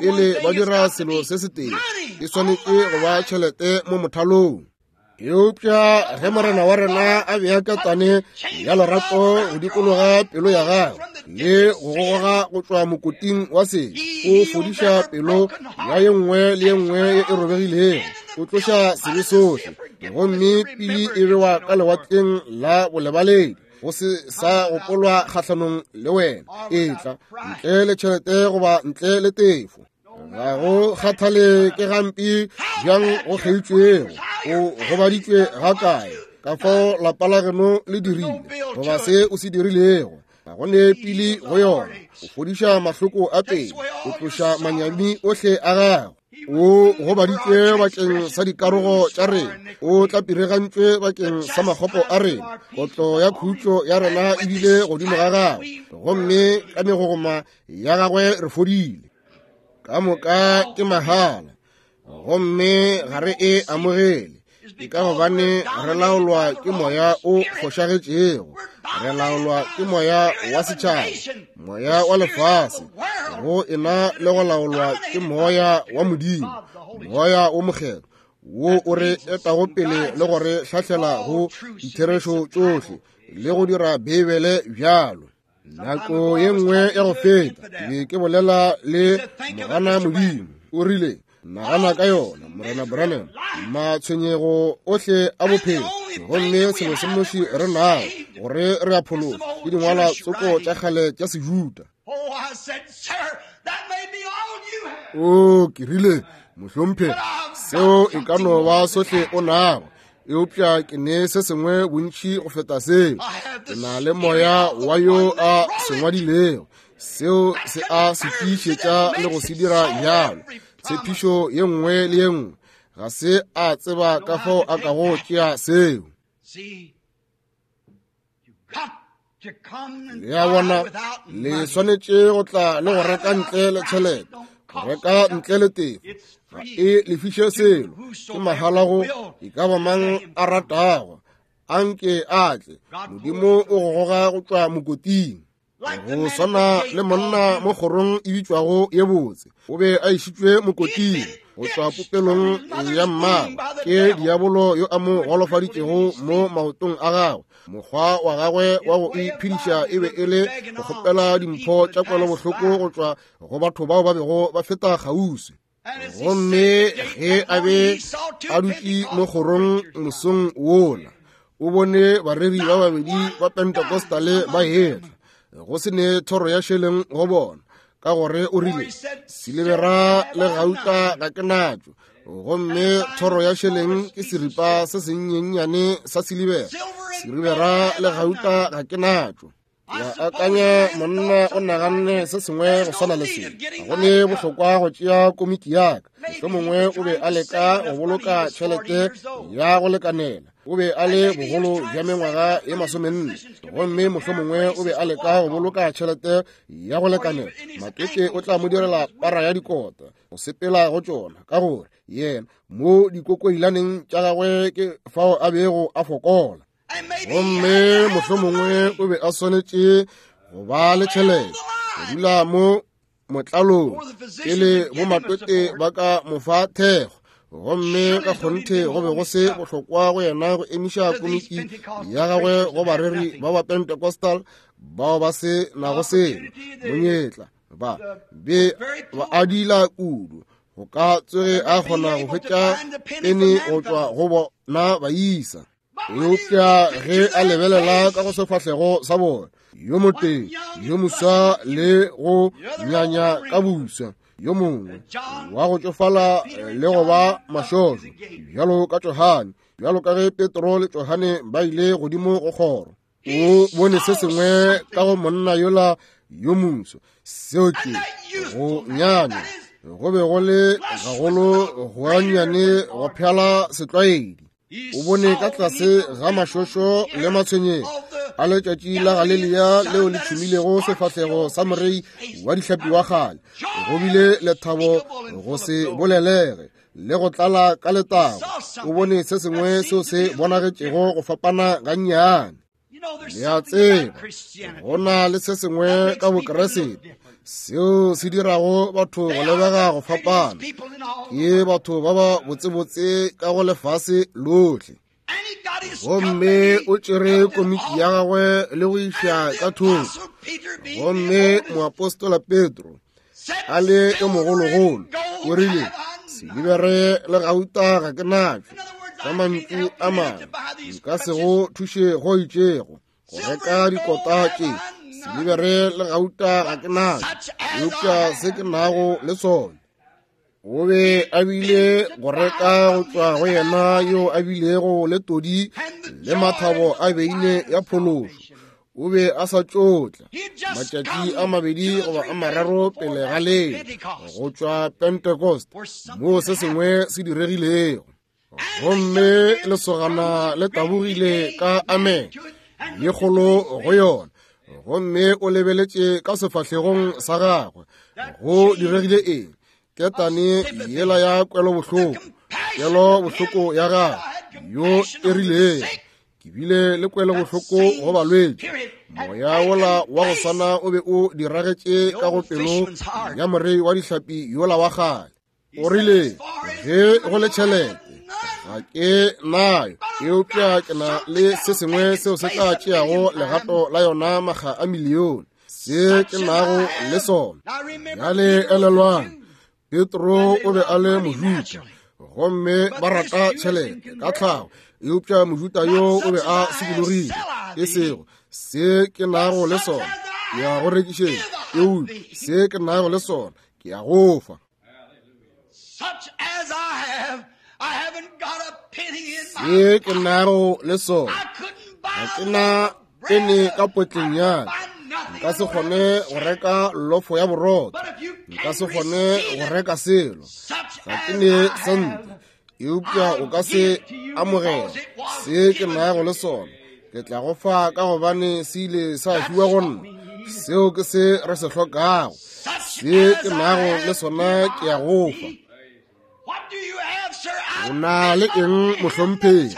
Pele ba dira selo se setee, e swanetše go ba tšhelete mo mothalong. Eupša ge Morena wa rena a bea ketane ya lerato go dikologa pelo ya gagwe le go goga go tšwa mokoting wa sebe, o fodiša pelo ya ye nngwe le ye nngwe ye e robegilego, o tloša sebe sohle, gomme pili e bewa ka lewatleng la bolebaledi, go se sa gopolwa kgahlanong le wena. E tla ntle le tšhelete goba ntle le tefo. Ga go kgathale ke gampe bjang go kgeitšwego, o gobaditšwe ga kae, ka fao lapa la geno le dirile goba se o se dirilego, ga go ne pili go yona. O fodiša mahloko a pele, o tloša manyami ohle a gago. O gobaditšwe bakeng sa dikarogo tša rena, o tlapiregantšwe bakeng sa makgopo a rena. Kotlo ya khutšo ya rena e bile godimo ga gagwe, gomme ka megogoma ya gagwe re fodile. Ka moka ke mahala, gomme ga re e amogele. Ke ka gobane re laolwa ke moya o fošagetšego, re laolwa ke moya wa setšhaba, moya wa lefase. Go ena le go laolwa ke moya wa Modimo, moya o mokgethwa wo o re etago pele le go re hlahlela go ditherešo tšohle le go dira Beibele bjalo. Nako ye nngwe ya go feta ke be ke bolela le mogana Modimo, o rile, nagana ka yona, Morena Branham, matshwenyego ohle a bophelo, gomme selo se nnoši re nago gore re a phologa ke dingwalwa tsoko tša kgale tša Sejuda. O, ke rile, mohlomphegi, seo e ka no ba sohle o nago, eupša ke ne se sengwe bontši go feta seo. Ke na le moya wa yo a se ngwadilego, seo se a se tiišetša le go se dira bjalo. Tshepišo ye nngwe le ye nngwe, ga se a tseba ka fao a kago tšea seo. Le a bona, le swanetše go tla le go reka ntle le tšhelete, go reka ntle le tefo. Ga e lefiše selo, ke mahala go e ka ba mang a ratago, a nke a tle. Modimo o go goga go tšwa mokoting. Go swana le monna mo kgorong e bitšwago ye botse, o be a išitšwe mokoting go tšwa popelong ya mmagwe ke diabolo yo a mo golofaditšego mo maotong a gagwe. Mokgwa wa gagwe wa go iphediša e be e le go kgopela dimpho tša kwelobohloko go tšwa go batho bao ba bego ba feta kgauswi. Gomme ge a be a dutše mo kgorong mosong wola, o bone bareri ba babedi ba Pentecostale ba etla, go se ne thoro ya šeleng go bona, ka gore o rile, silibera le gauta ga ke natšo, gomme thoro ya šeleng ke seripa se senyenyane sa silibera, silibera le gauta ga ke natšo. Ya akanya monna o naganne se sengwe go swana le se. Ga go ne bohlokwa go tšea komiki ya ka. Mohlomongwe o be a leka go boloka tšhelete ya go lekanela. O be a le bogolo bja mengwaga ye masomenne, gomme mohlomongwe o be a leka go boloka tšhelete ya go lekanela. Matete o tla mo direla para ya dikota go sepela go tšona, ka gore yena mo dikokoilaneng tša gagwe ke fao a bego a fokola. Gomme mohlomongwe o be a swanetše go ba le tšhelete go dula mo motlalong pele bomatwete ba ka mo fa thekgo. Gomme ka kgonthe go be go se bohlokwa go yena go emiša komiki ya gagwe go bareri ba ba Pentecostal bao ba se nago selo monyetla, ba be ba adila kudu go ka tsoge a kgona go hwetša pene go tšwa go bona baisa. Eupša ge a lebelela ka go sefahlego sa bona, yo motee yo moswa le go nyanya ka buswa, yo mongwe wa go tšofala le go ba mašošo bjalo ka Johane, bjalo ka ge Petro le Johane ba ile godimo go kgoro, o bone se sengwe ka go monna yola yo moso, seo ke go nyanya go be go le gagolo go anyane go phala setlwaedi. O bone ka tlase ga mašošo le matshwenyego a letšatši la Galilea leo le tšhumilego sefahlego sa morei wa dihlapi wa kgale, go bile lethabo go se bolelege le go tlala ka letago. O bone se sengwe seo se bonagetšego go fapana gannyane. Le a tseba, go na le se sengwe ka Bokeresete seo se dirago batho go lebega go fapana. Ke batho ba ba botsebotse ka go lefase lohle. Gomme o tšere komiki ya gagwe le go iša ka thoko. Gomme moapostola Petro a le yo mogologolo o rile, silibere le gauta ga ke natšo, ka mantšu a mangwe nka se go thuše go itšego go reka dikota tše, silibere le gauta ga ke natšo, eupša se ke nago le sona. O be a bile go reka go tšwa go yena yo a bilego le todi le mathabo a beine ya phološo. O be a sa tšotla matšatši a mabedi goba a mararo pele ga leo go tšwa Pentecost, moo se sengwe se diregilego. Gomme lesogana le tabogile ka amen ye kgolo go yona, gomme o lebeletše ka sefahlegong sa gagwe. Go diregile eng? Ketane yela ya kwelobohloko, kwelobohloko ya gagwe yo e rilego Ke bile le kwelobohloko go balwetši. Moya wola wa go swana o be o diragetše ka go pelo ya morei wa dihlapi yola wa kgale. O rile, ge go le tšhelete ga ke nayo, eupša ke na le se sengwe seo se tla tšeago legato la yona makga a milione, se ke nago le sona. Bjale elelwang, Petro o be a le Mojuda, gomme ba rata tšhelete ka tlhago, eupša Mojuda yo o be a sokologile. E sego se ke nago le sona ke ya go rekišetša, eupša se ke nago le sona ke ya go fa. Se ke nago le sona ga ke na pene ka potleng ya ka. Nka se kgone go reka lofo ya borotho, nka se kgone go reka selo, ga ke ne sente, eupša o ka se amogela se ke nago le sona. Ke tla go fa ka gobane se ile sa fiwa go nna. Seo ke se re se hlokago. Se ke nago le sona ke ya go fa. O na le eng, mohlomphegi?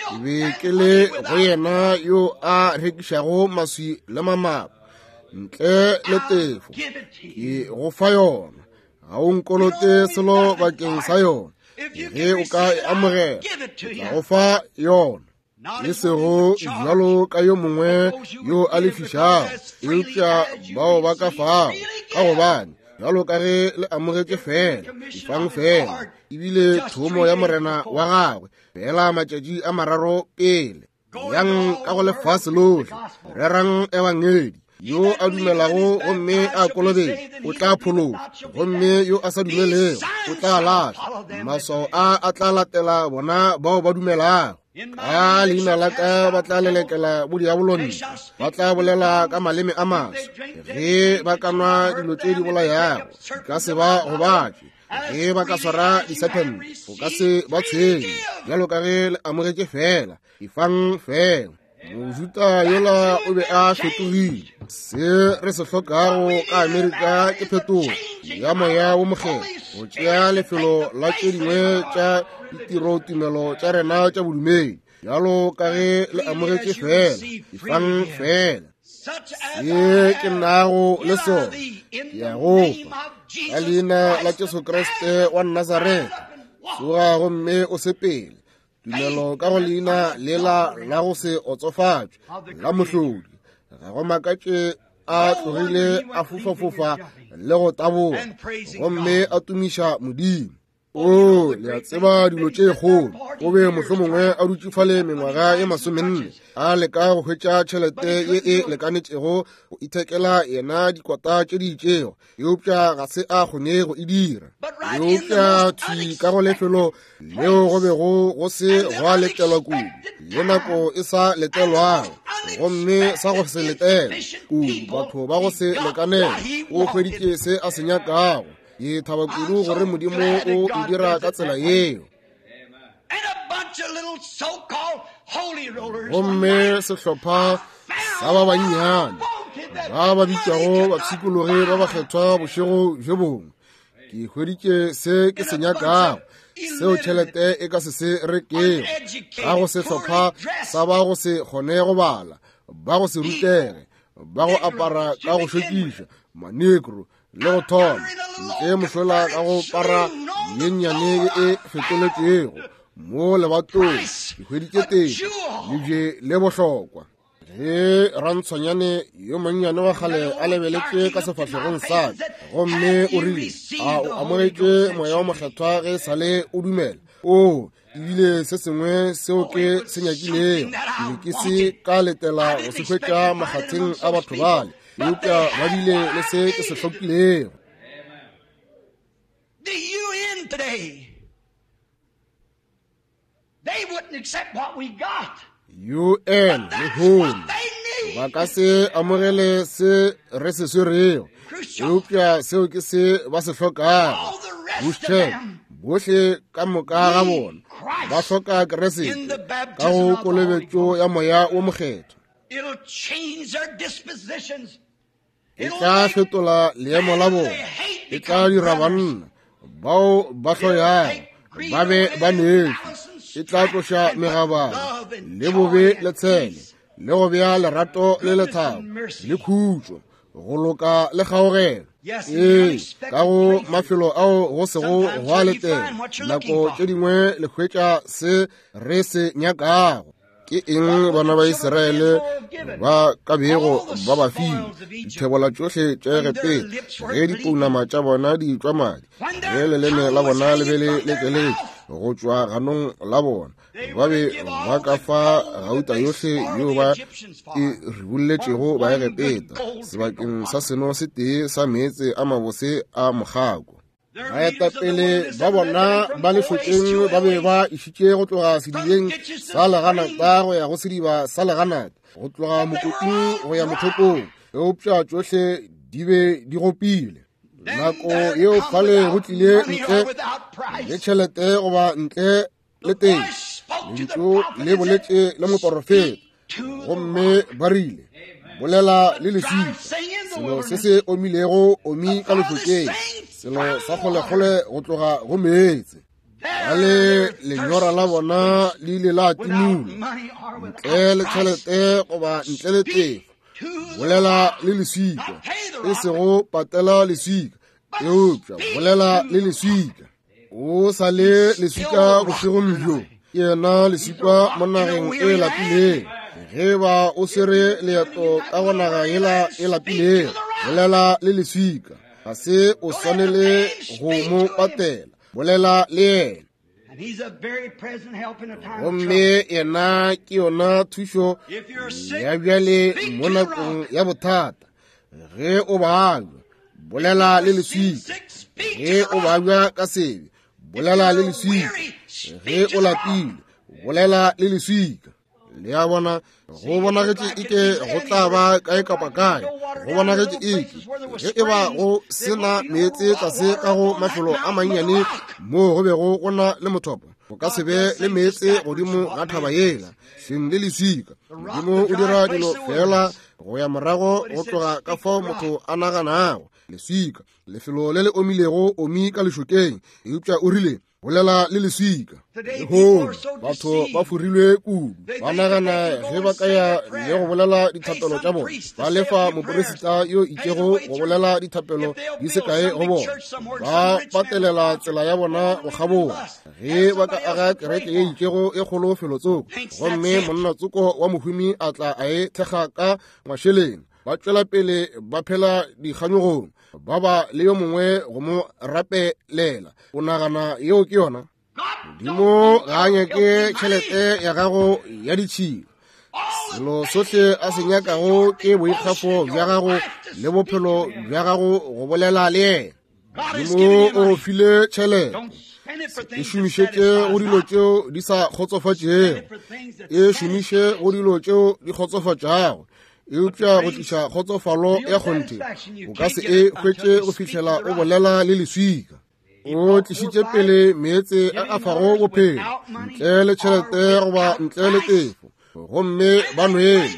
Ke be ke le go yena yo a rekišago maswi le mamapo ntle le tefo. Ke go fa yona, ga o nkolote selo bakeng sa yona. Ge o ka e amogela, ke tla go fa yona. E sego bjalo ka yo mongwe yo a lefišago, eupša bao ba ka fago, ka gobane bjalo ka ge le amogetše fela, ifang fela. Ebile thomo ya morena wa gagwe fela matšatši a mararo pele. Yang ka go lefase lohle, rerang ebangedi. Yo a dumelago gomme a kolobetšwa o tla phološwa, gomme yo a sa dumelego o tla lahlwa. Maswao a a tla latela bona bao ba dumelago. Ka leina la ka ba tla lelekela bodiabolo ntle, ba tla bolela ka maleme a maswa. Ge ba ka nwa dilo tše di bolayago, di ka se ba gobatše. Ge ba ka swara disephente, go ka se ba tshwenye. Bjalo ka ge le amogetše fela, ifang fela. Mojuda yola o be a fetogile. Se re se hlokago ka Amerika ke phetogo ya moya wo mokgethwa, go tšea lefelo la tše dingwe tša ditirotumelo tša rena tša bodumedi. Bjalo ka ge le amogetše fela, ifang fela. Se ke nago le sona ke ya go fa ka leina la Jesu Kriste wa Nazaretha. Tsoga gomme o sepele. Tumelo ka go leina lela la go se otsofatšwe la mohlodi. Ga go makatše a tlogile a fofafofa le go taboga, gomme a tumiša Modimo. O, le a tseba dilo tše kgolo. O be mohlomongwe a dutše fale mengwaga ye masomenne, a leka go hwetša tšhelete ye e lekanetšego go ithekela yena dikota tše di itšego, eupša ga se a kgone go e dira. Eupša thwi ka go lefelo leo go bego go se gwa letelwa kudu, le nako e sa letelwago, gomme sa go se letela kudu, batho ba go se lekanela, o hweditše se a se nyakago. Ke thaba kudu gore Modimo o e dira ka tsela yeo. Gomme sehlopha sa ba bannyane ba ba bitšwago bapshikologi ba bakgethwa bošego bjo bongwe, ke hweditše se ke se nyakago, seo tšhelete e ka se se rekego. Ka go sehlopha sa ba go se kgone go bala, ba go se rutege, ba go apara ka go šokiša, manegro le go thoma ntle mošola ka go para ye nnyane ye e fetoletšego mo lebatong, ke hweditše tefo, lebje le bohlokwa. Ge rantshwanyane yo monnyane wa kgale a lebeletše ka sefahlegong sa ka, gomme o rile, a o amogetše moya wa mokgethwa ge e sale o dumela? O, ebile se sengwe seo ke se nyakilego, ke be ke se ka letela go se hwetša makgatheng a batho bale, eupša ba bile le se ke se hlokilego. The U N today, they wouldn't accept what we got. U N lehono ba ka se amogele se re se swerego, eupša seo ke se ba se hlokago. Khrushchev, bohle ka moka ga bona ba hloka Kriste ka go kolobetšo ya moya wo mokgethwa. E tla fetola leemo la bona, e tla dira banna bao ba hloyago ba be ba neetšwe, E tla tloša megabana le bobe le tshele, le go bea lerato le lethabo le khutšo, go loka le kgaogelo. Ee, ka go mafelo ao go sego gwa letela, nako tše dingwe le hwetša se re se nyakago. Ke eng bana ba Israele ba ka bego ba ba file dithebola tšohle tša Egepeta ge dipounama tša bona di tšwa madi, ge leleme la bona le be le lekeletše go tšwa ganong la bona, ba be ba ka fa gauta yohle yeo ba e ribolletšego ba Egepeta sebakeng sa seno se tee sa meetse a mabose a mokgako. Baetapele ba bona ba lešokeng ba be ba išitše go tloga sedibeng sa leganata go ya go sediba sa leganata, go tloga mokoting go ya mothopong, eupša tšohle di be di gopile. Nako yeo fale go tlile ntle le tšhelete goba ntle le teng, lentšu le boletše le moporofeta, gomme ba rile, bolela le leswika, selo se se omilego omi ka lešokeng, selo sa kgolekgole go tloga go meetse. Bale lenyora la bona le ile la timula ntle le tšhelete goba ntle le tefo. Bolela le leswika, e sego patela leswika, eupša bolela le leswika. O sa le leswika bošegong bjo, ke yena leswika mo nageng e lapilego. Ge ba o swere leeto ka go naga yela e lapilego, bolela le leswika, ga se o swanele go mo patela, bolela le yena. Gomme yena ke yona thušo ya bjale mo nakong ya bothata. Ge o babja, bolela le leswika. Ge o babja ka sebe, bolela le leswika. Ge o lapile, bolela le leswika. Le a bona, go bonagetše eke go tla ba kae kapa kae, go bonagetše eke ge e ba go sena meetse tlase ka go mafelo a mannyane moo go bego go na le mothopo, go ka se be le meetse godimo ga thaba yela hleng le leswika. Modimo o dira dilo fela go ya morago go tloga ka fao motho a naganago. Leswika, lefelo le le omilego omi ka lešokeng, eupša o rile, bolela le leswika. Lehono batho ba forilwe kudu, ba nagana ge ba ka ya le go bolela dithapelo tša bona, ba lefa moporesita yo itšego go bolela dithapelo di se kae go bona, ba patelela tsela ya bona go kgabola. Ge ba ka aga kereke ye itšego e kgolo felotsoko, gomme monna tsoko wa mohumi a tla a e thekga ka mašeleng, ba tšwela pele ba phela dikganyogong, ba ba le yo mongwe go mo rapelela. O nagana yeo ke yona? Modimo ga a nyake tšhelete ya gago ya ditšhila. Selo sohle a se nyakago ke boikgafo bja gago le bophelo bja gago go bolela le yena. Modimo o file tšhelete, e šomišetše go dilo tšeo di sa kgotsofatšego, e šomiše go dilo tšeo di kgotsofatšago. Eupša go tliša kgotsofalo ya kgonthe, o ka se e hwetše go fihlela o bolela le leswika. O tlišitše pele meetse a a fago bophelo ntle le tšhelete goba ntle le tefo, gomme ba nwele,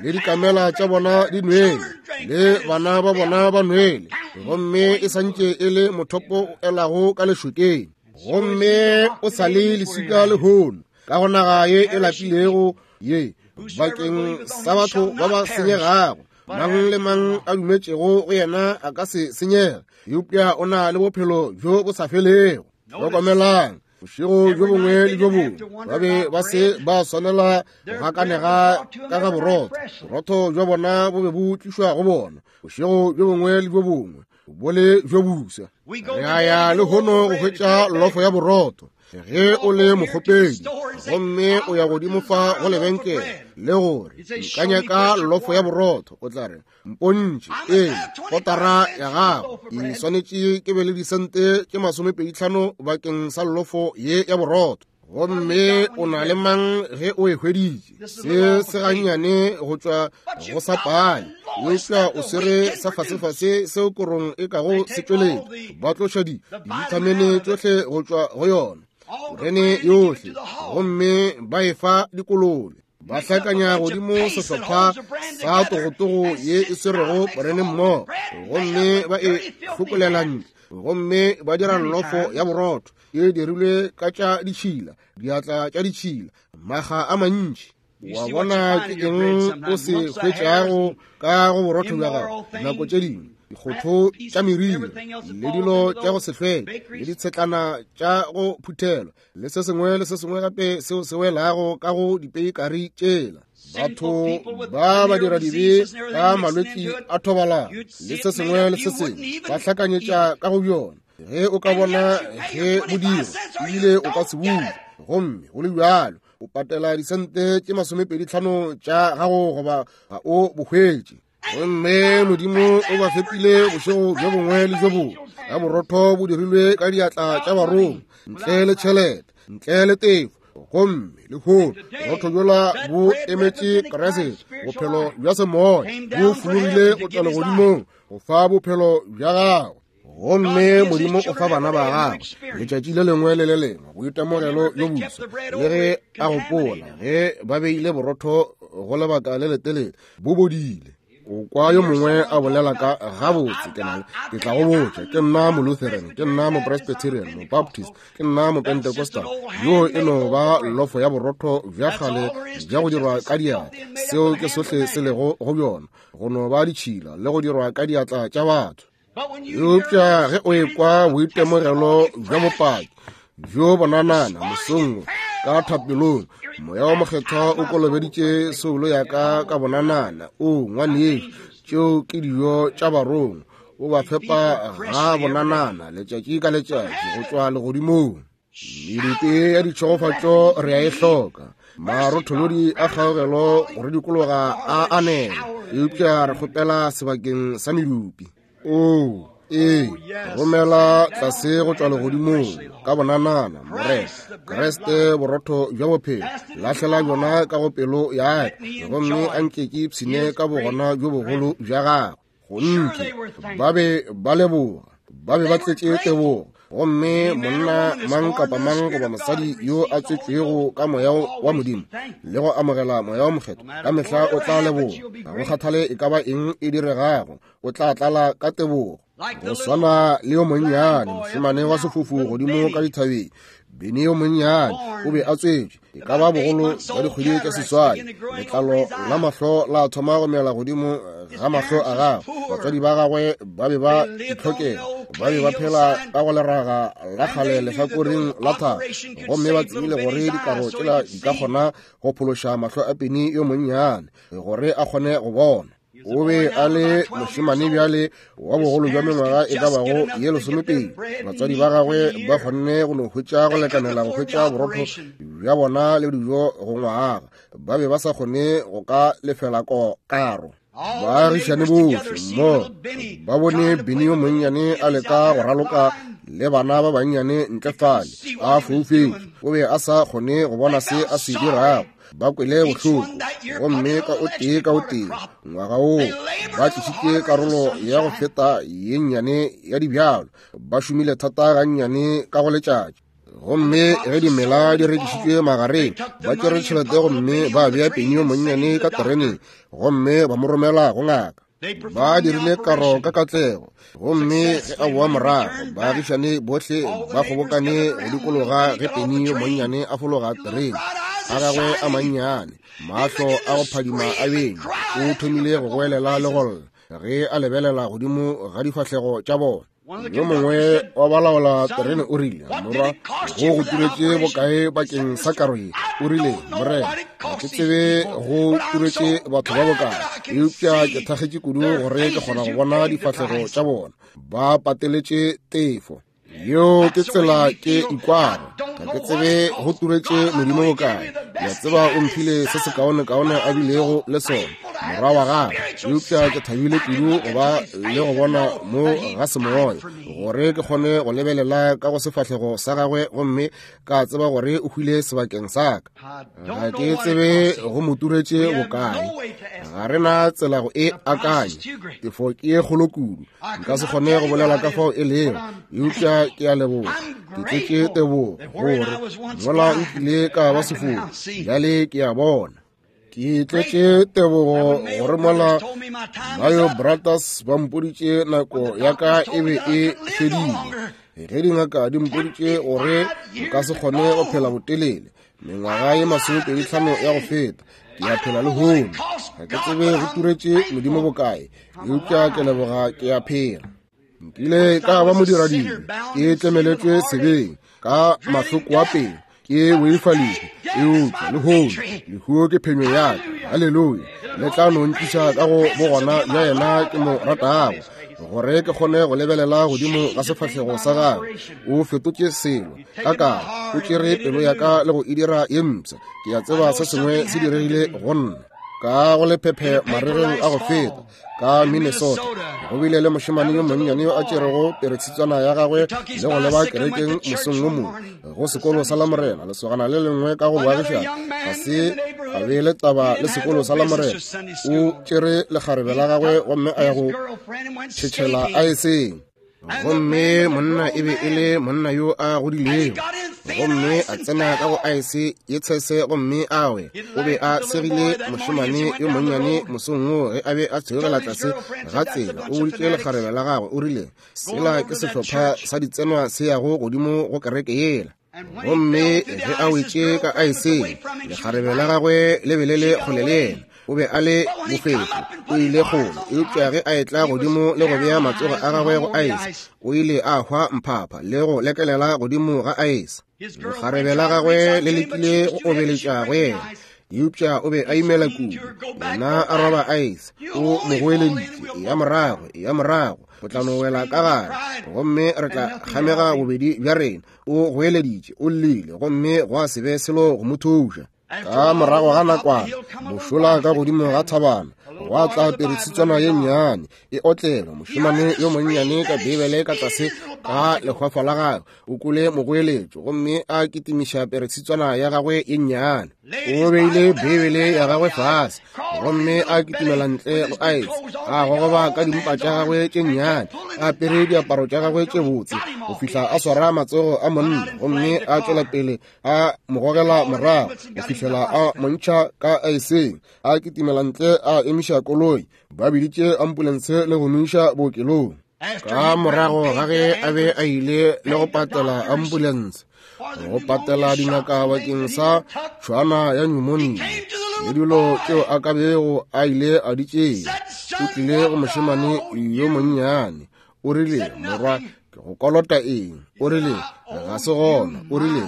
le dikamela tša bona di nwele, le bana ba bona ba nwele, gomme e santše e le mothopo o elago ka lešokeng. Gomme o sa le leswika lehono ka go naga ye e lapilego ye bakeng sa batho ba ba senyegago. Mang le mang a dumetšego go yena a ka se senyega, eupša o na le bophelo bjo bo sa felego. Hlokomelang, bošego bjo bongwe le bjo bongwe ba be ba se ba swanela go gakanega ka ga borotho. Borotho bja bona bo be bo tlišwa go bona bošego bjo bongwe le bjo bongwe, bo le bjo busa. Re a ya lehono go hwetša lofo ya borotho. Ge o le mokgopedi gomme o ya godimo fa go lebenkele le gore nka nyaka lofo ya borotho, o tla re, mpontšhe ee kotara ya gago, ke swanetše ke be le disente tše masomepedi tlhano bakeng sa lofo ye ya borotho. Gomme o na le mang ge o e hweditše? Se se gannyane go tšwa go sa pale, eupša o swere sa fasefase seo korong e kago se tšweletša. Ba tloša di dibithamine tšohle go tšwa go yona, korene yohle, gomme ba e fa dikolobe. Ba hlakanya godimo sehlopha sa togotogo ye e swerego korene mmogo, gomme ba e hlokolela ntle. Gomme ba dira llofo ya borotho e dirilwe ka tša ditšhila, diatla tša ditšhila, makga a mantši. Wa bona ke eng o se hwetšago ka go borotho bja gago nako tše dingwe, dikgotho tša meriri le dilo tša go se hlweke le ditshetlana tša go phuthelwa le se sengwe le se sengwe gape seo se welago ka go dipeikari tšela. Batho ba ba dira dibe ka malwetši a thobalano le se sengwe le se sengwe ba hlakanyetša ka go bjona. Ge o ka bona ge bo dirwa ebile o ka se bule, gomme go le bjalo o patela disente tše masomepedi tlhano tša gago goba ga o bo hwetše. Gomme Modimo o ba fepile bošego bjo bongwe le bjo bongwe ka borotho bo dirilwe ka diatla tša barongwa, ntle le tšhelete, ntle le tefo. Gomme lehono borotho bjola bo emetše Kriste, bophelo bja semoya bo fologile go tšwa legodimong go fa bophelo bja gago. Gomme Modimo o fa bana ba gagwe letšatši le lengwe le le lengwe boitemogelo bjo boso, le ge a gopola ge ba beile borotho go lebaka le letelele bo bodile. O kwa yo mongwe a bolela ka gabotse, ke na ke tla go botša, ke nna Molutheran, ke nna Mopresbyterian, Mobaptist, ke nna Mopentecostal. Yo e no ba lofo ya borotho bja kgale bja go dirwa ka diatla. Seo ke sohle se lego go bjona, go no ba ditšhila le go dirwa ka diatla tša batho. Eupša ge o ekwa boitemogelo bja bopaki bjo bonanana mosong ka thapelong, Moya wa Mokgethwa o kolobeditše soulo ya ka ka bonanana. O ngwanešu, tšeo ke dijo tša barongwa, o ba fepa ga bonanana letšatši ka letšatši go tšwa legodimong. Medupi ya ditšhegofatšo re a e hloka, marotholodi a kgaogelo go re dikologa a anela, eupša re kgopela sebakeng sa medupi. O ee, romela tlase go tšwa legodimong ka bonanana, Morena Kriste, borotho bja bophelo, lahlela bjona ka go pelo ya ka, gomme a nke ke ipshine ka bogona bjo bogolo bja gagwe. Gontši ba be ba leboga, ba be ba tletše tebogo. Gomme monna mang kapa mang goba mosadi yo a tswetšwego ka moya wa Modimo le go amogela Moya wa Mokgethwa ka mehla o tla leboga. Ga go kgathale e ka ba eng e diregago, o tla tlala ka tebogo. Go swana le yo monnyane mošemane wa sefofu godimo ka dithabeng, Bene yo monnyane o be a tswetšwe e ka ba bogolo bja dikgwedi tša seswai. Letlalo la mahlo la thoma go mela godimo ga mahlo a gagwe. Batswadi ba gagwe ba be ba itlhokela, ba be ba phela ka go leraga la kgale lehlakoreng la thaba, gomme ba tsebile gore dikaro tšela di ka kgona go phološa mahlo a Bene yo monnyane gore a kgone go bona. O be a le mošemane bjale wa bogolo bja mengwaga e ka bago ye lesomepedi. Batswadi ba gagwe ba kgonne go no hwetša go lekanela go hwetša borotho bja bona le dijo go ngwaga. Ba be ba sa kgone go ka lefela karo. Baagišane bohle mo ba bone Bene yo monnyane a leka go raloka le bana ba bannyane ntle fale a foufetše. O be a sa kgone go bona se a se dirago. Ba kwele bohloko, gomme ka o tee ka o tee ngwaga woo ba tlišitše karolo ya go feta ye nnyane ya dibjalo. Ba šomile thata gannyane ka go letšatši, gomme ge dimela di rekišitšwe magareng, ba tšere tšhelete gomme ba bea Bene yo monnyane ka tereneng gomme ba mo romela go ngaka. Ba dirile karo ka katlego, gomme ge a boa morago, baagišane bohle ba kgobokane go dikologa ge Bene yo monnyane a fologa terene. A gagwe a mannyane, mahlo a go phadima a beng, o thomile go goelela le go lla ge a lebelela godimo ga difahlego tša bona. Yo mongwe wa balaola terene o rile, morwa, go go turetše bokae bakeng sa karo ye? O rile, Morena, ga ke tsebe go turetše batho ba bokae, eupša ke thakgetše kudu gore ke kgona go bona difahlego tša bona. Ba pateletše tefo. Yeo ke tsela ke ikwago. Ga ke tsebe go turetše Modimo bokae. Ke a tseba o mphile se sekaonekaone a bilego le sona, morwa wa gagwe, eupša ke thabile kudu go ba le go bona mo ga semoya, gore ke kgone go lebelela ka go sefahlego sa gagwe gomme ka tseba gore o hwile sebakeng sa ka. Ga ke tsebe go mo turetše bokae. Ga re na tsela go e akanya. Tefo ke ye kgolo kudu, nka se kgone go bolela ka fao e lego, eupša ke a leboga. Ke tletše tebogo gore mola nkile ka ba sefofu, bjale ke a bona. Ke tletše tebogo gore mola Mayo Brothers ba mpoditše nako ya ka e be e fedile. Ge dingaka di mpoditše gore nka se kgone go phela botelele, mengwaga ye masomepedi tlhano ya go feta, ke a phela lehono. Ga ke tsebe go turetše Modimo bokae, eupša ke leboga ke a phela. Nkile ka ba modiradibe, ke tlemeletšwe sebeng ka mahloko a pelo, ke boifalile, eupša lehono lehuo ke phenyo ya ka. Haleluya! Le tla no ntliša ka go bogona bja yena ke mo ratago, gore ke kgone go lebelela godimo ga sefahlego sa gagwe. O fetotše selo ka ka, o tšere pelo ya ka le go e dira ye mpsha. Ke a tseba se sengwe se diregile go nna. Ka go lephephe maregeng a go feta ka Minnesota, go bile le mošemane yo monnyane yo a tšerego peretshitswana ya gagwe le go leba kerekeng mosong wo mongwe go sekolo sa Lamorena. Lesogana le lengwe ka go boagišana ga se a be le taba le sekolo sa Lamorena. O tšere lekgarebe la gagwe gomme a ya go tšhetšhela aeseng. Gomme monna e be e le monna yo a godilego, gomme a tsena ka go aese ye tshese gomme a we. O be a segile mošemane yo monnyane mosong woo ge a be a theogela tlase ga tsela. O boditše lekgarebe la gagwe, o rile, sela ke sehlopha sa ditsenwa se yago godimo go kereke yela. Gomme ge a wetše ka aeseng, lekgarebe la gagwe le be le le kgole le yena. O be a le bofefo, o ile kgole, eupša ge a etla godimo le go bea matsogo a gagwe go aese, o ile a hwa mphapha le go lekelela godimo ga aese. Lekgarebe la gagwe le lekile go obeletša go yena, eupša o be a imela kudu. Yena a roba aese, o mo goeleditše, ya morago, ya morago, o tla no wela ka gare, gomme re tla kgamega bobedi bja rena. O goeleditše, o llile, gomme gwa se be selo go mo thuša. Ka morago ga nakwana, mošola ka godimo ga thabana, gwa tla peretshitswana ye nnyane e otlelwa. Mošemane yo monnyane ka Beibele ka tlase ga lehwafa la gagwe o kwele mogoeletšo, gomme a kitimiša peretshitswana ya gagwe ye nnyane. O beile Beibele ya gagwe fase, gomme a kitimela ntle go aese, a gogoba ka dimpa tša gagwe tše nnyane, a apere diaparo tša gagwe tše botse, go fihla a swara matsogo a monna, gomme a tšwela pele a mo gogela morago go fihlela a montšha ka aeseng. A kitimela ntle, a emiša koloi, ba biditše ambulense le go mo iša bookelong. Ka morago ga ge a be a ile le go patela ambulense, go patela dingaka bakeng sa tšhwana ya pneumonia le dilo tšeo a ka bego a ile a di tšea, o tlile go mošemane yo monnyane. O rile, morwa, ke go kolota eng? O rile, ga se gona. O rile,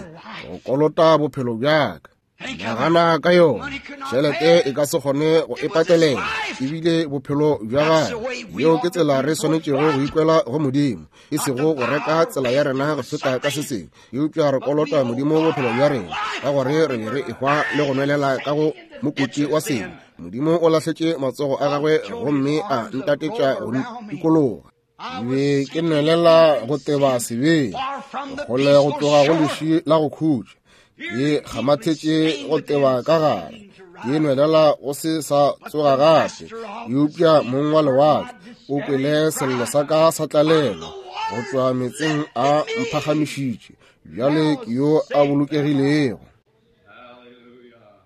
go kolota bophelo bja ka. Nagana ka yona, tšhelete e ka se kgone go e patelela, ebile bophelo bja gagwe. Yeo ke tsela re swanetšego go ikwela go Modimo, e sego go reka tsela ya rena go feta ka se sengwe, eupša re kolota Modimo bophelo bja rena, ka gore re be re ehwa le go nwelela ka go mokoti wa sebe. Modimo o lahletše matsogo a gagwe gomme a ntatetša go ntikologa. Ke be ke nwelela go teba sebeng, kgole go tloga go leši la go khutša. Ke kgamathetše go teba ka gare, ke nwelela go se sa tsoga gape. Eupša mong wa lewatle o kwele sello sa ka sa tlalelo go tšwa meetseng a mphagamišitše. Bjale ke yo a bolokegilego.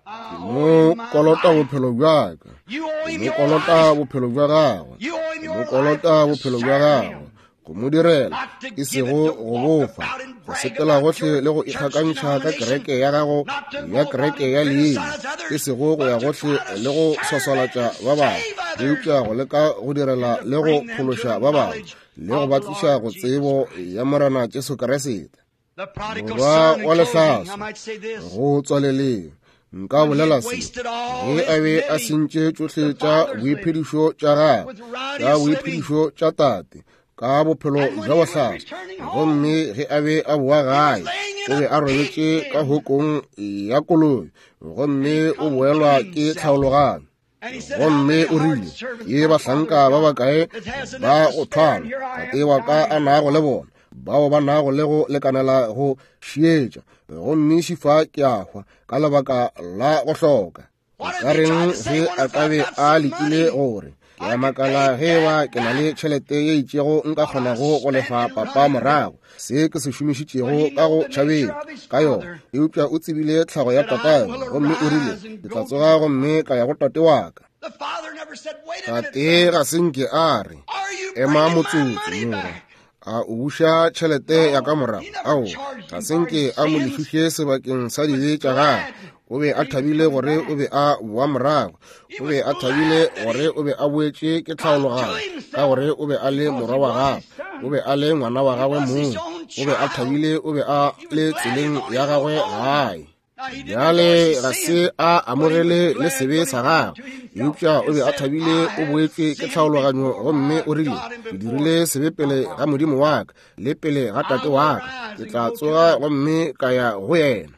Ke mo kolota bophelo bja ka, ke mo kolota bophelo bja gagwe, ke mo kolota bophelo bja gagwe, go mo direla, e sego go bofa, go sepela gohle le go ikgakantšha ka kereke ya gago ya kereke ya leina, e sego go ya gohle le go swaswalatša ba bangwe, eupša go leka go direla le go phološa ba bangwe le go ba tliša go tsebo ya Morena Jesu Kriste. Morwa wa lehlaswa, go tswaleleng, nka bolela se, ge a be a sentše tšohle tša boiphedišo tša gagwe, tša boiphedišo tša tate, ka bophelo bja bohlaswa, gomme ge a be a boa gae, o be a robetše ka hokong ya koloi, gomme o boelwa ke tlhaologanyo. Gomme o rile, ke bahlanka ba bakae ba go thwalwa tate wa ka a nago le bona, bao ba nago le go lekanela go šietša, gomme šifa ke a hwa ka lebaka la go hloka. Ka reng ge a ka be a lekile gore Ke a makala ge eba ke na le tšhelete ye itšego nka kgonago go lefa papa morago se ke se šomišitšego ka go tšhabeng ka yona. Eupša o tsebile tlhago ya tatagwe, gomme o rile, ke tla tsoga gomme ka ya go tate wa ka. Tate ga se nke a re, ema motsotso morwa, a o buša tšhelete ya ka morago. Ao, ga se nke a mo lefiše sebakeng sa dibe tša gagwe. O be a thabile gore o be a boa morago. O be a thabile gore o be a boetše ke tlhaologanyo, ka gore o be a le morwa wa gagwe, o be a le ngwana wa gagwe mong. O be a thabile, o be a le tseleng ya gagwe gae. Bjale ga se a amogele le sebe sa gagwe, eupša o be a thabile, o boetše ke tlhaologanyo, gomme o rile, ke dirile sebe pele ga Modimo wa ka le pele ga tate wa ka, ke tla tsoga gomme ka ya go yena.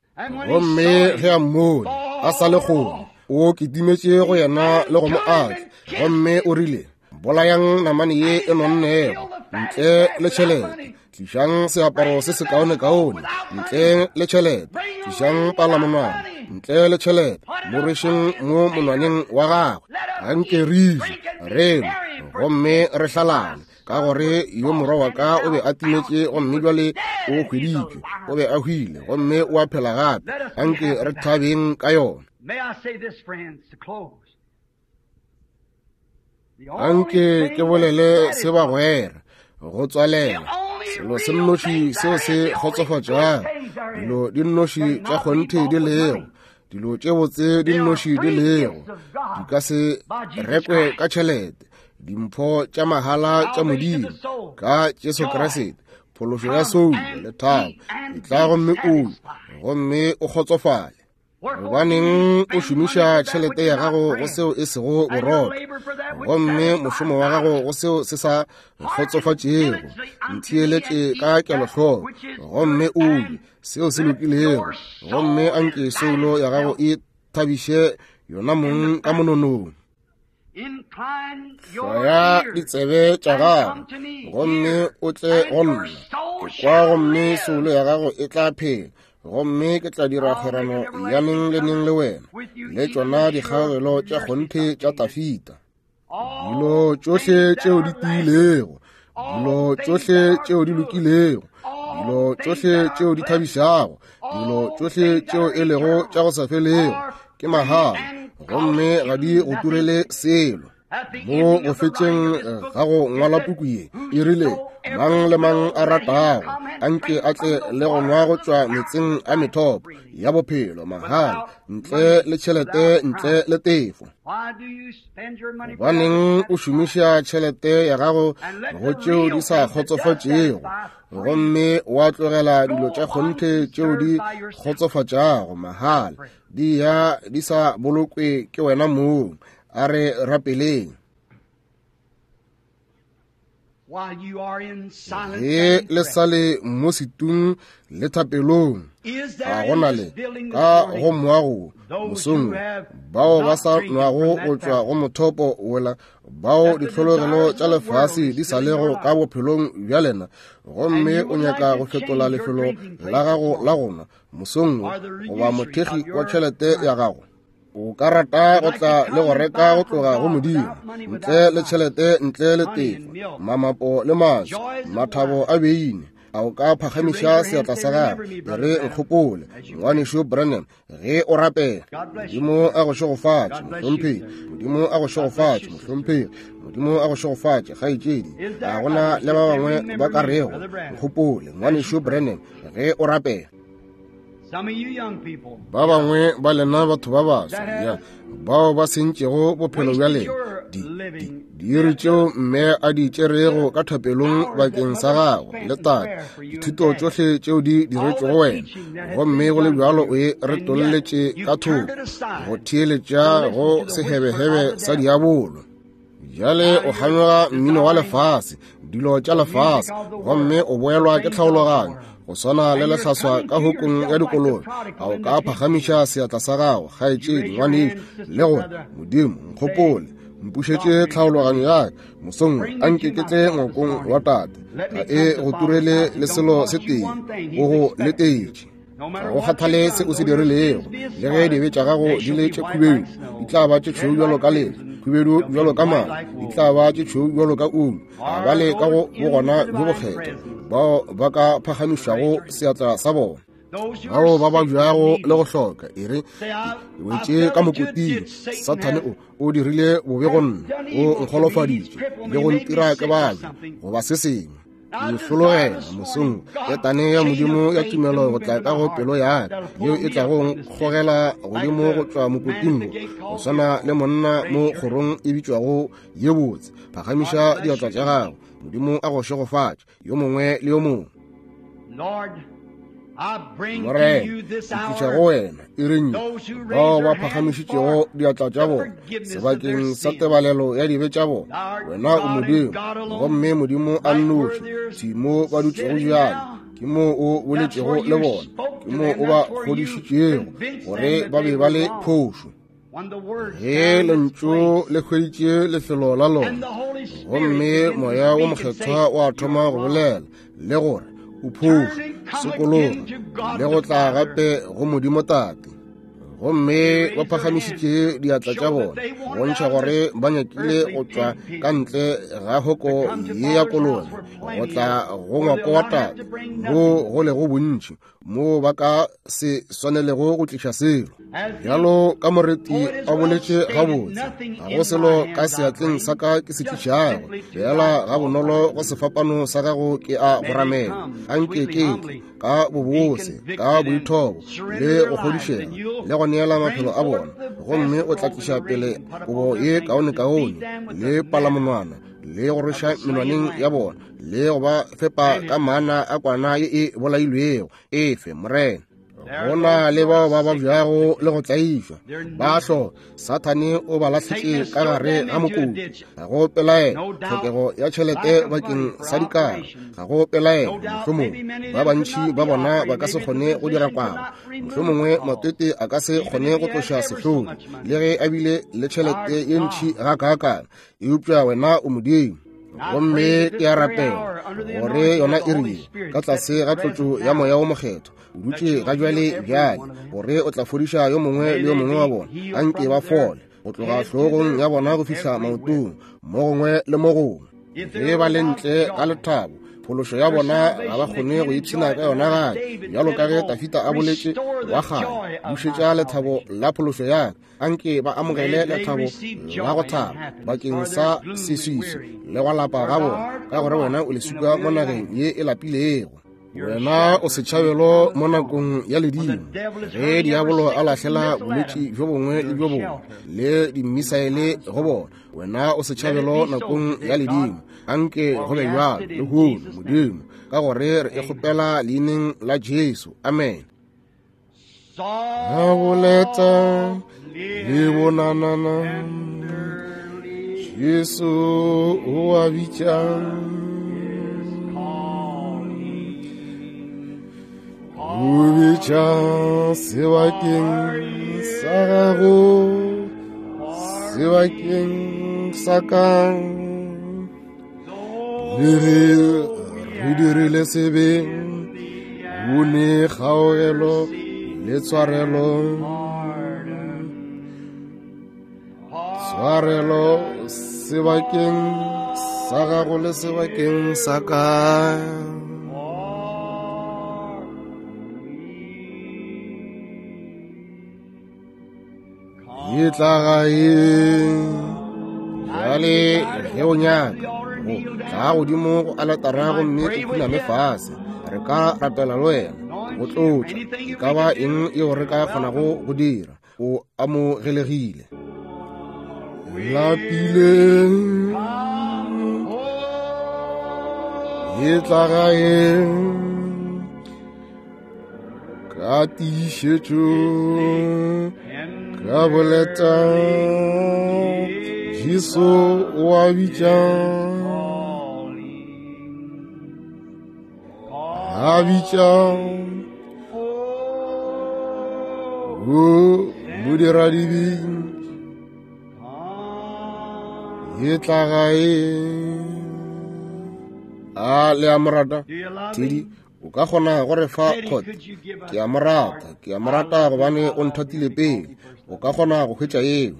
Gomme ge a mmone a sa le kgole, o kitimetše go yena le go mo atla, gomme o rile, bolayang namane ye e nonnego ntle le tšhelete, tlišang seaparo se sekaonekaone ntle le tšhelete, tlišang palamonwana ntle le tšhelete, mo rwešeng mo monwaneng wa gagwe, anke re je re nwe gomme re hlalane, ka gore yo morwa wa ka o be a timetše gomme bjale o hweditšwe, o be a hwile gomme o a phela gape, anke re thabeng ka yona. Anke ke bolele se bagwera go tswalela, selo se nnoši seo se kgotsofatšago, dilo di nnoši tša kgonthe di lego, dilo tše botse di nnoši di lego, di ka se rekwe ka tšhelete, dimpho tša mahala tša Modimo ka Jesu Kriste, phološo ya soulo le thabo, e tla gomme o gomme o kgotsofale. Gobaneng o šomiša tšhelete ya gago go seo e sego borotho, gomme mošomo wa gago go seo se sa kgotsofatšego? Ntheeletše ka kelohloko gomme o je seo se lokilego, gomme anke soulo ya gago e thabiše yona mong ka mononong. Hlwaya ditsebe tša gago gomme o tle go nna, ke kwa gomme soulo ya gago e tla phela, gomme ke tla dira kgwerano ya neng le neng le wena, le tšona dikgaogelo tša kgonthe tša Tafita. Dilo tšohle tšeo di tiilego, dilo tšohle tšeo di lokilego, dilo tšohle tšeo di thabišago, dilo tšohle tšeo e lego tša go sa felego ke mahala, gomme ga di go turele selo. Mo go fetšeng ga go ngwala puku ye, e rile, mang le mang a ratago anke a tle le go nwa go tšwa metseng a methopo ya bophelo mahala, ntle le tšhelete, ntle le tefo. Gobaneng o šomiša tšhelete ya gago go tšeo di sa kgotsofatšego, gomme wa tlogela dilo tša kgonthe tšeo di kgotsofatšago mahala, di ya di sa bolokwe ke wena mong? A re rapeleng. Ge le sa le mo setung le thapelong, a gona le ka go moago mosong bao ba sa nwago go tšwa go mothopo wola, bao ditlhologelo tša lefase di sa lego ka bophelong bja lena, gomme o nyaka go fetola lefelo la gago la go nwa mosong goba mothekgi wa tšhelete ya gago, o ka rata go tla le go reka go tloga go Modimo ntle le tšhelete, ntle le tefo, mamapo le maswi, mathabo a beine, a o ka phagamiša seatla sa gago e re, nkgopole ngwanešu Branham ge o rapela. Modimo a go šegofatše mohlomphegi, Modimo a go šegofatše mohlomphegi, Modimo a go šegofatše kgaetšedi. A gona le ba bangwe ba ka rego, nkgopole ngwanešu Branham ge o rapela. Ba bangwe ba lena batho ba baswa ya bao ba sentšego bophelo bja lena, di diiri tšeo mme a di tšerego ka thapelong bakeng sa gago le tate, dithuto tšohle tšeo di diretšego wena, gomme go le bjalo o e retolletše ka thoko go theeletša go sehebehebe sa diabolo. Bjale o kganyoga mmino wa lefase, dilo tša lefase, gomme o boelwa ke tlhaologanyo go swana le lehlaswa ka hokong ya dikolobe. A o ka phagamiša seatla sa gago, kgaetšedi, ngwanešu, le gore, Modimo, nkgopole, mpušetše tlhaologanyo ya ka mosong, anke ke tle ngwakong wa tate, ga e go turele le selo se tee, o go letetše. Ga go kgathale se o se dirilego, le ge dibe tša gago di le tše khubedu, di tla ba tše tšhweu bjalo ka lehlwa, Khubedu bjalo ka madi, di tla ba tše tšhweu bjalo ka ulu. A ba le ka go bogona bjo bokgethwa bao ba ka phagamišago seatla sa bona, bao ba babjago le go hloka. E re, ke wetše ka mokoting, Sathane o o dirile bobe go nna, o nkgolofaditše le go ntira ke babja goba se sengwe. Ke hlologela mosong ketane ya Modimo ya tumelo go tla ka go pelo ya ka, yeo e tlago nkgogela godimo go tšwa mokoting wo, go swana le monna mo kgorong e bitšwago ye botse. Phagamiša diatla tša gago. Modimo a go šegofatše, yo mongwe le yo mongwe. Morena, ke tliša go wena iring bao ba phagamišitšego diatla tša bona sebakeng sa tebalelo ya dibe tša bona. Wena o Modimo, gomme Modimo a nnoši. Thwi mo ba dutšego bjale, ke mo o boletšego le bona, ke mo o ba kgodišitšego gore ba be ba le phošo. Ge lentšu le hweditše lefelo la lona, gomme Moya wo Mokgethwa wa thoma go bolela le gore o phošo, sokologa le go tla gape go Modimo Tate. Gomme ba phagamišitše diatla tša bona go bontšha gore ba nyakile go tšwa ka ntle ga hoko ye ya kolobe go tla go ngwako wa Tate, mo go lego bontši mo ba ka se swanelego go tliša selo. Bjalo ka moreti a boletše gabotse, ga go selo ka seatleng sa ka ke se tlišago, fela ga bonolo go sefapano sa gago ke a go ramela. Anke ke tle ka bobose, ka boithobo le go kgodišega le go neela maphelo a bona, gomme o tla tliša pele kobo ye kaonekaone le palamonwana le go rweša menwaneng ya bona le go ba fepa ka mana a kwana ye e bolailwego. Efe, Morena. Go na le bao ba babjago le go tlaišwa, ba hloka. Sathane o ba lahletše ka gare ga mokoti. Ga go pelaelo tlhokego ya tšhelete bakeng sa dikaro, ga go pelaelo mohlomongwe ba bantši ba bona ba ka se kgone go dira kwano, mohlomongwe matete a ka se kgone go tloša sehlodi le ge a bile le tšhelete ye ntši gakaakana. Eupša wena o Modimo, gomme ke a rapela gore yona e rile ka tlase ga tlotšo ya Moya wo Mokgethwa o dutše ga jwale bjale, gore o tla fodiša yo mongwe le yo mongwe wa bona. Anke ba fole go tloga hlogong ya bona go fihla maotong, mo gongwe le mo gongwe. Ge ba le ntle ga lethabo, phološo ya bona ga ba kgone go ipshina ka yona gae. Bjalo ka ge Tafita a boletše wa kgale, bušetša lethabo la phološo ya ka. Anke ba amogele lethabo la go thaba bakeng sa seswiso le go lapa ga bona, ka gore wena o leswika mo nageng ye e lapilego. Wena o setšhabelo mo nakong ya ledimo, ge diabolo a lahlela bolwetši bjo bongwe le bjo bongwe le dimisaele go bona. Wena o setšhabelo nakong ya ledimo. Anke go be bjalo lehono, Modimo, ka gore re e kgopela leineng la Jesu. Amen. A boleta le bonanana, Jesu o a bitša. O bitša sebakeng sa gago, sebakeng sa ka. Le ge re dirile sebe, o ne kgaogelo le tshwarelo. Tshwarelo sebakeng sa gago le sebakeng sa ka. E tla gae bjale ge o nyaka go tla godimo go aletara gomme o khuname fase, re ka rapela le wena go tlotša. E ka ba eng yeo re ka kgonago go dira, o amogelegile. Lapile e tla gae ka tiišetšo, ka boleta. Jesu o a bitša, a bitša o modiradibe, e tla gae. A le a mo rata? Teddy, o ka kgona go re fa kgotsa? Ke a mo rata, ke a mo rata gobane o nthatile pele. O ka kgona go hwetša yeo.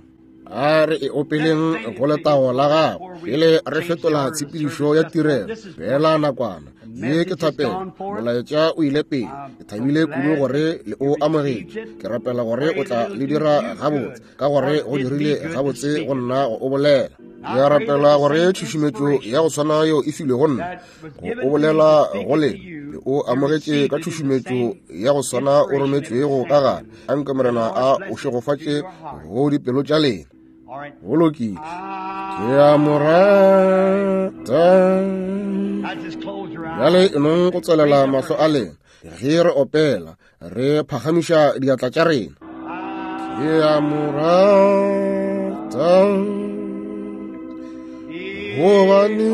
A re e opeleng go letago la gago pele re fetola tshepedišo ya tirelo. Fela nakwana ye ke thapelo, molaetša o ile pele. Ke thabile kudu gore le o amogetše. Ke rapela gore o tla le dira gabotse, ka gore go dirile gabotse go nna go o bolela. Ke a rapela gore tšhušumetšo ya go tshwana yeo e filwe go nna go o bolela go lena, le o amogetše ka tšhušumetšo ya go swana o rometšwego ka gare. Anke Morena a o šegofatše go dipelo tša lena. Go lokile. Ke a mo rata. Bjale e nong go tswelela mahlo a lena ge re opela, re phagamiša diatla tša rena. Ke a mo rata gobane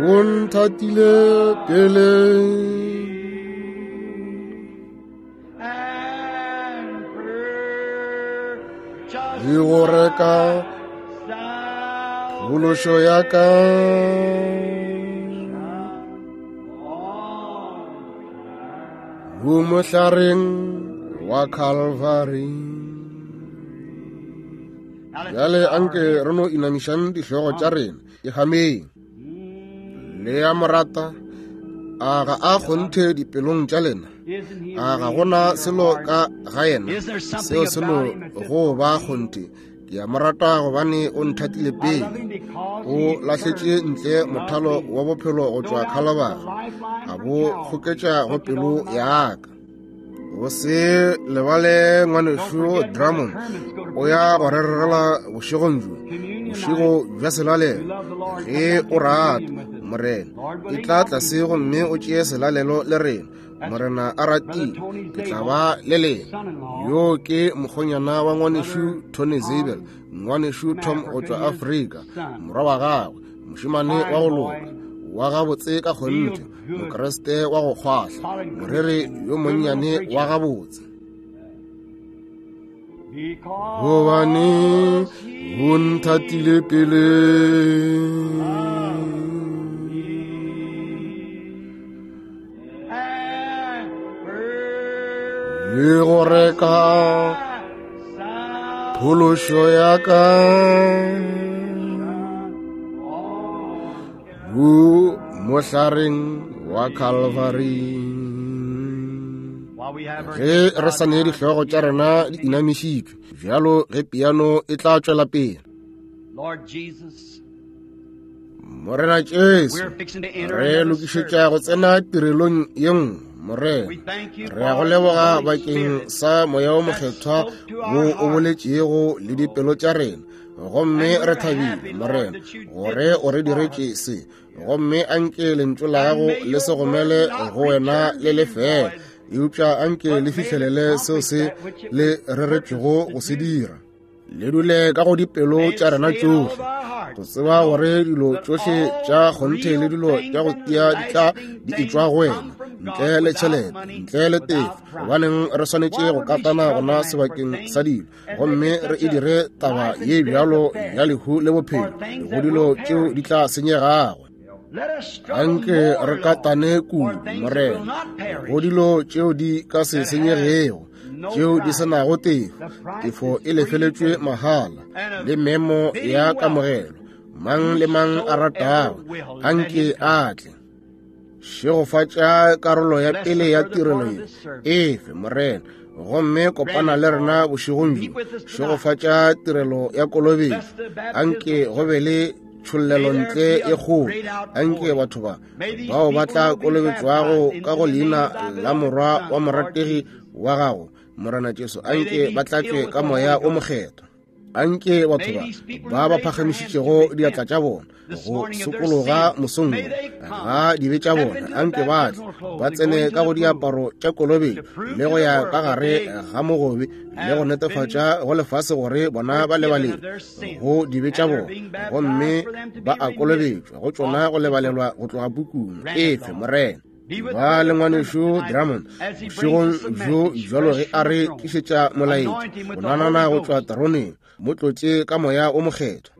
o nthatile pele. Le go reka phološo ya ka. Mo mohlareng wa Calvary. Bjale anke re no inamišang dihlogo tša rena e gameng. Le ya morata, a ga a kgonthe dipelong tša lena? A ga gona selo ka ga yena seo se no go ba kgonthe? Ke a mo rata gobane o nthatile pele. O lahletše ntle mothalo wa bophelo go tšwa Calvary, a bo kgoketša go pelo ya ka. O se lebale ngwanešu Drummond o ya go re rerela bošegong bjo, bošego bja selalelo. Ge o rata Morena, e tla tlase gomme o tšee selalelo le rena. Morena a ratile, ke tla ba le lena. Yo ke mokgonyana wa ngwanešu Tony Zabel, ngwanešu Tom go tšwa Afrika, morwa wa gagwe, mošemane wa go loka, wa gabotse ka kgonthe, Mokreste wa go kgwahla, moreri yo monnyane wa gabotse. Gobane o nthatile pele. Le go reka phološo ya ka mo mohlareng wa Calvary. Ge re sa ne dihlogo tša rena di inamišitšwe bjalo, ge piano e tla tšwela pele. Morena Jesu, re lokišetša go tsena tirelong ye nngwe. Morena, re a go leboga bakeng sa moya o mokgethwa wo o boletšego le dipelo tša rena, gomme re thabile Morena gore o re diretše se. Gomme anke lentšu la gago le se gomele go wena le lefela, eupša anke le fihlelele seo se le reretšwego go se dira. Le dule ka go dipelo tša rena tšohle, go tseba gore dilo tšohle tša kgonthe le dilo tša go tia di tla di etšwa go wena, ntle le tšhelete, ntle le tefo. Gobaneng re swanetše go katana gona sebakeng sa dilo, gomme re e dire taba ye bjalo ya lehu le bophelo go dilo tšeo di tla senyegago? Anke re katane kudu Morena go dilo tšeo di ka se senyegego, tšeo di se nago tefo. Tefo e lefeletšwe mahala le memo ya kamogelo. Mang le mang a ratago anke a tle. Šegofatša karolo ya pele ya tirelo ye efe Morena, gomme kopana le rena bošegong bjo. Šegofatša tirelo ya kolobetšo, anke go be le tšhollelo ntle e kgolo. Anke batho ba bao ba tla kolobetšwago ka go leina la morwa wa morategi wa gago Morena Jesu, anke ba tlatšwe ka moya o mokgethwa. Anke batho ba ba ba phagamišitšego diatla tša bona go sokologa mosong ga dibe tša bona, anke ba tle ba tsene ka go diaparo tša kolobetšo le go ya ka gare ga mogobe le go netefatša go lefase gore bona ba lebalelwe go dibe tša bona, gomme ba a kolobetšwa go tšona go lebalelwa go tloga pukung. Efe Morena. Ba le ngwanešu Drummond bošegong bjo bjalo ge a re tlišetša molaetša go nanana go tšwa teroneng, mo tlotše ka moya o mokgethwa.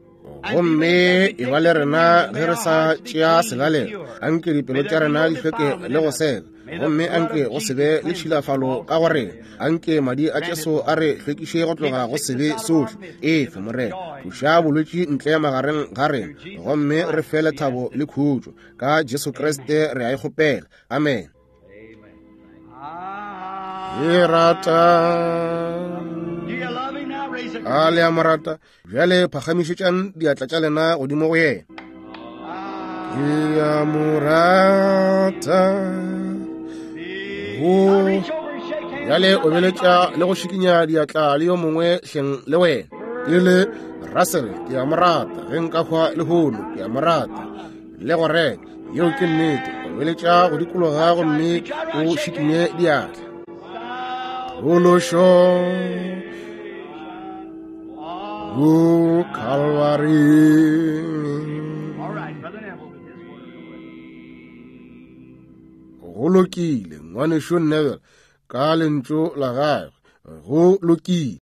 Gomme e ba le rena ge re sa tšea selalelo. Anke dipelo tša rena di hlweke le go seka, gomme anke go se be le tšhilafalo ka go rena. Anke madi a Jesu a re hlwekiše go tloga go sebe sohle. Efe, Morena, tloša bolwetši ntle magareng ga rena, gomme re fe lethabo le khutšo. Ka Jesu Kriste re a e kgopela. Amen. E rata. A le a mo rata? Bjale phagamišetšang diatla tša lena godimo go yena. Ke a mo rata. Go bjale obeletša le go šikinya diatla le yo mongwe hleng le wena. Ke le Russell, ke a mo rata. Ge nka hwa lehono, ke a mo rata. Le go reka, yeo ke nnete. Obeletša go dikologa gomme o šikinye diatla. Phološo go Calvary. Go lokile, ngwanešu Neville, ka lentšu la gagwe. Go lokile.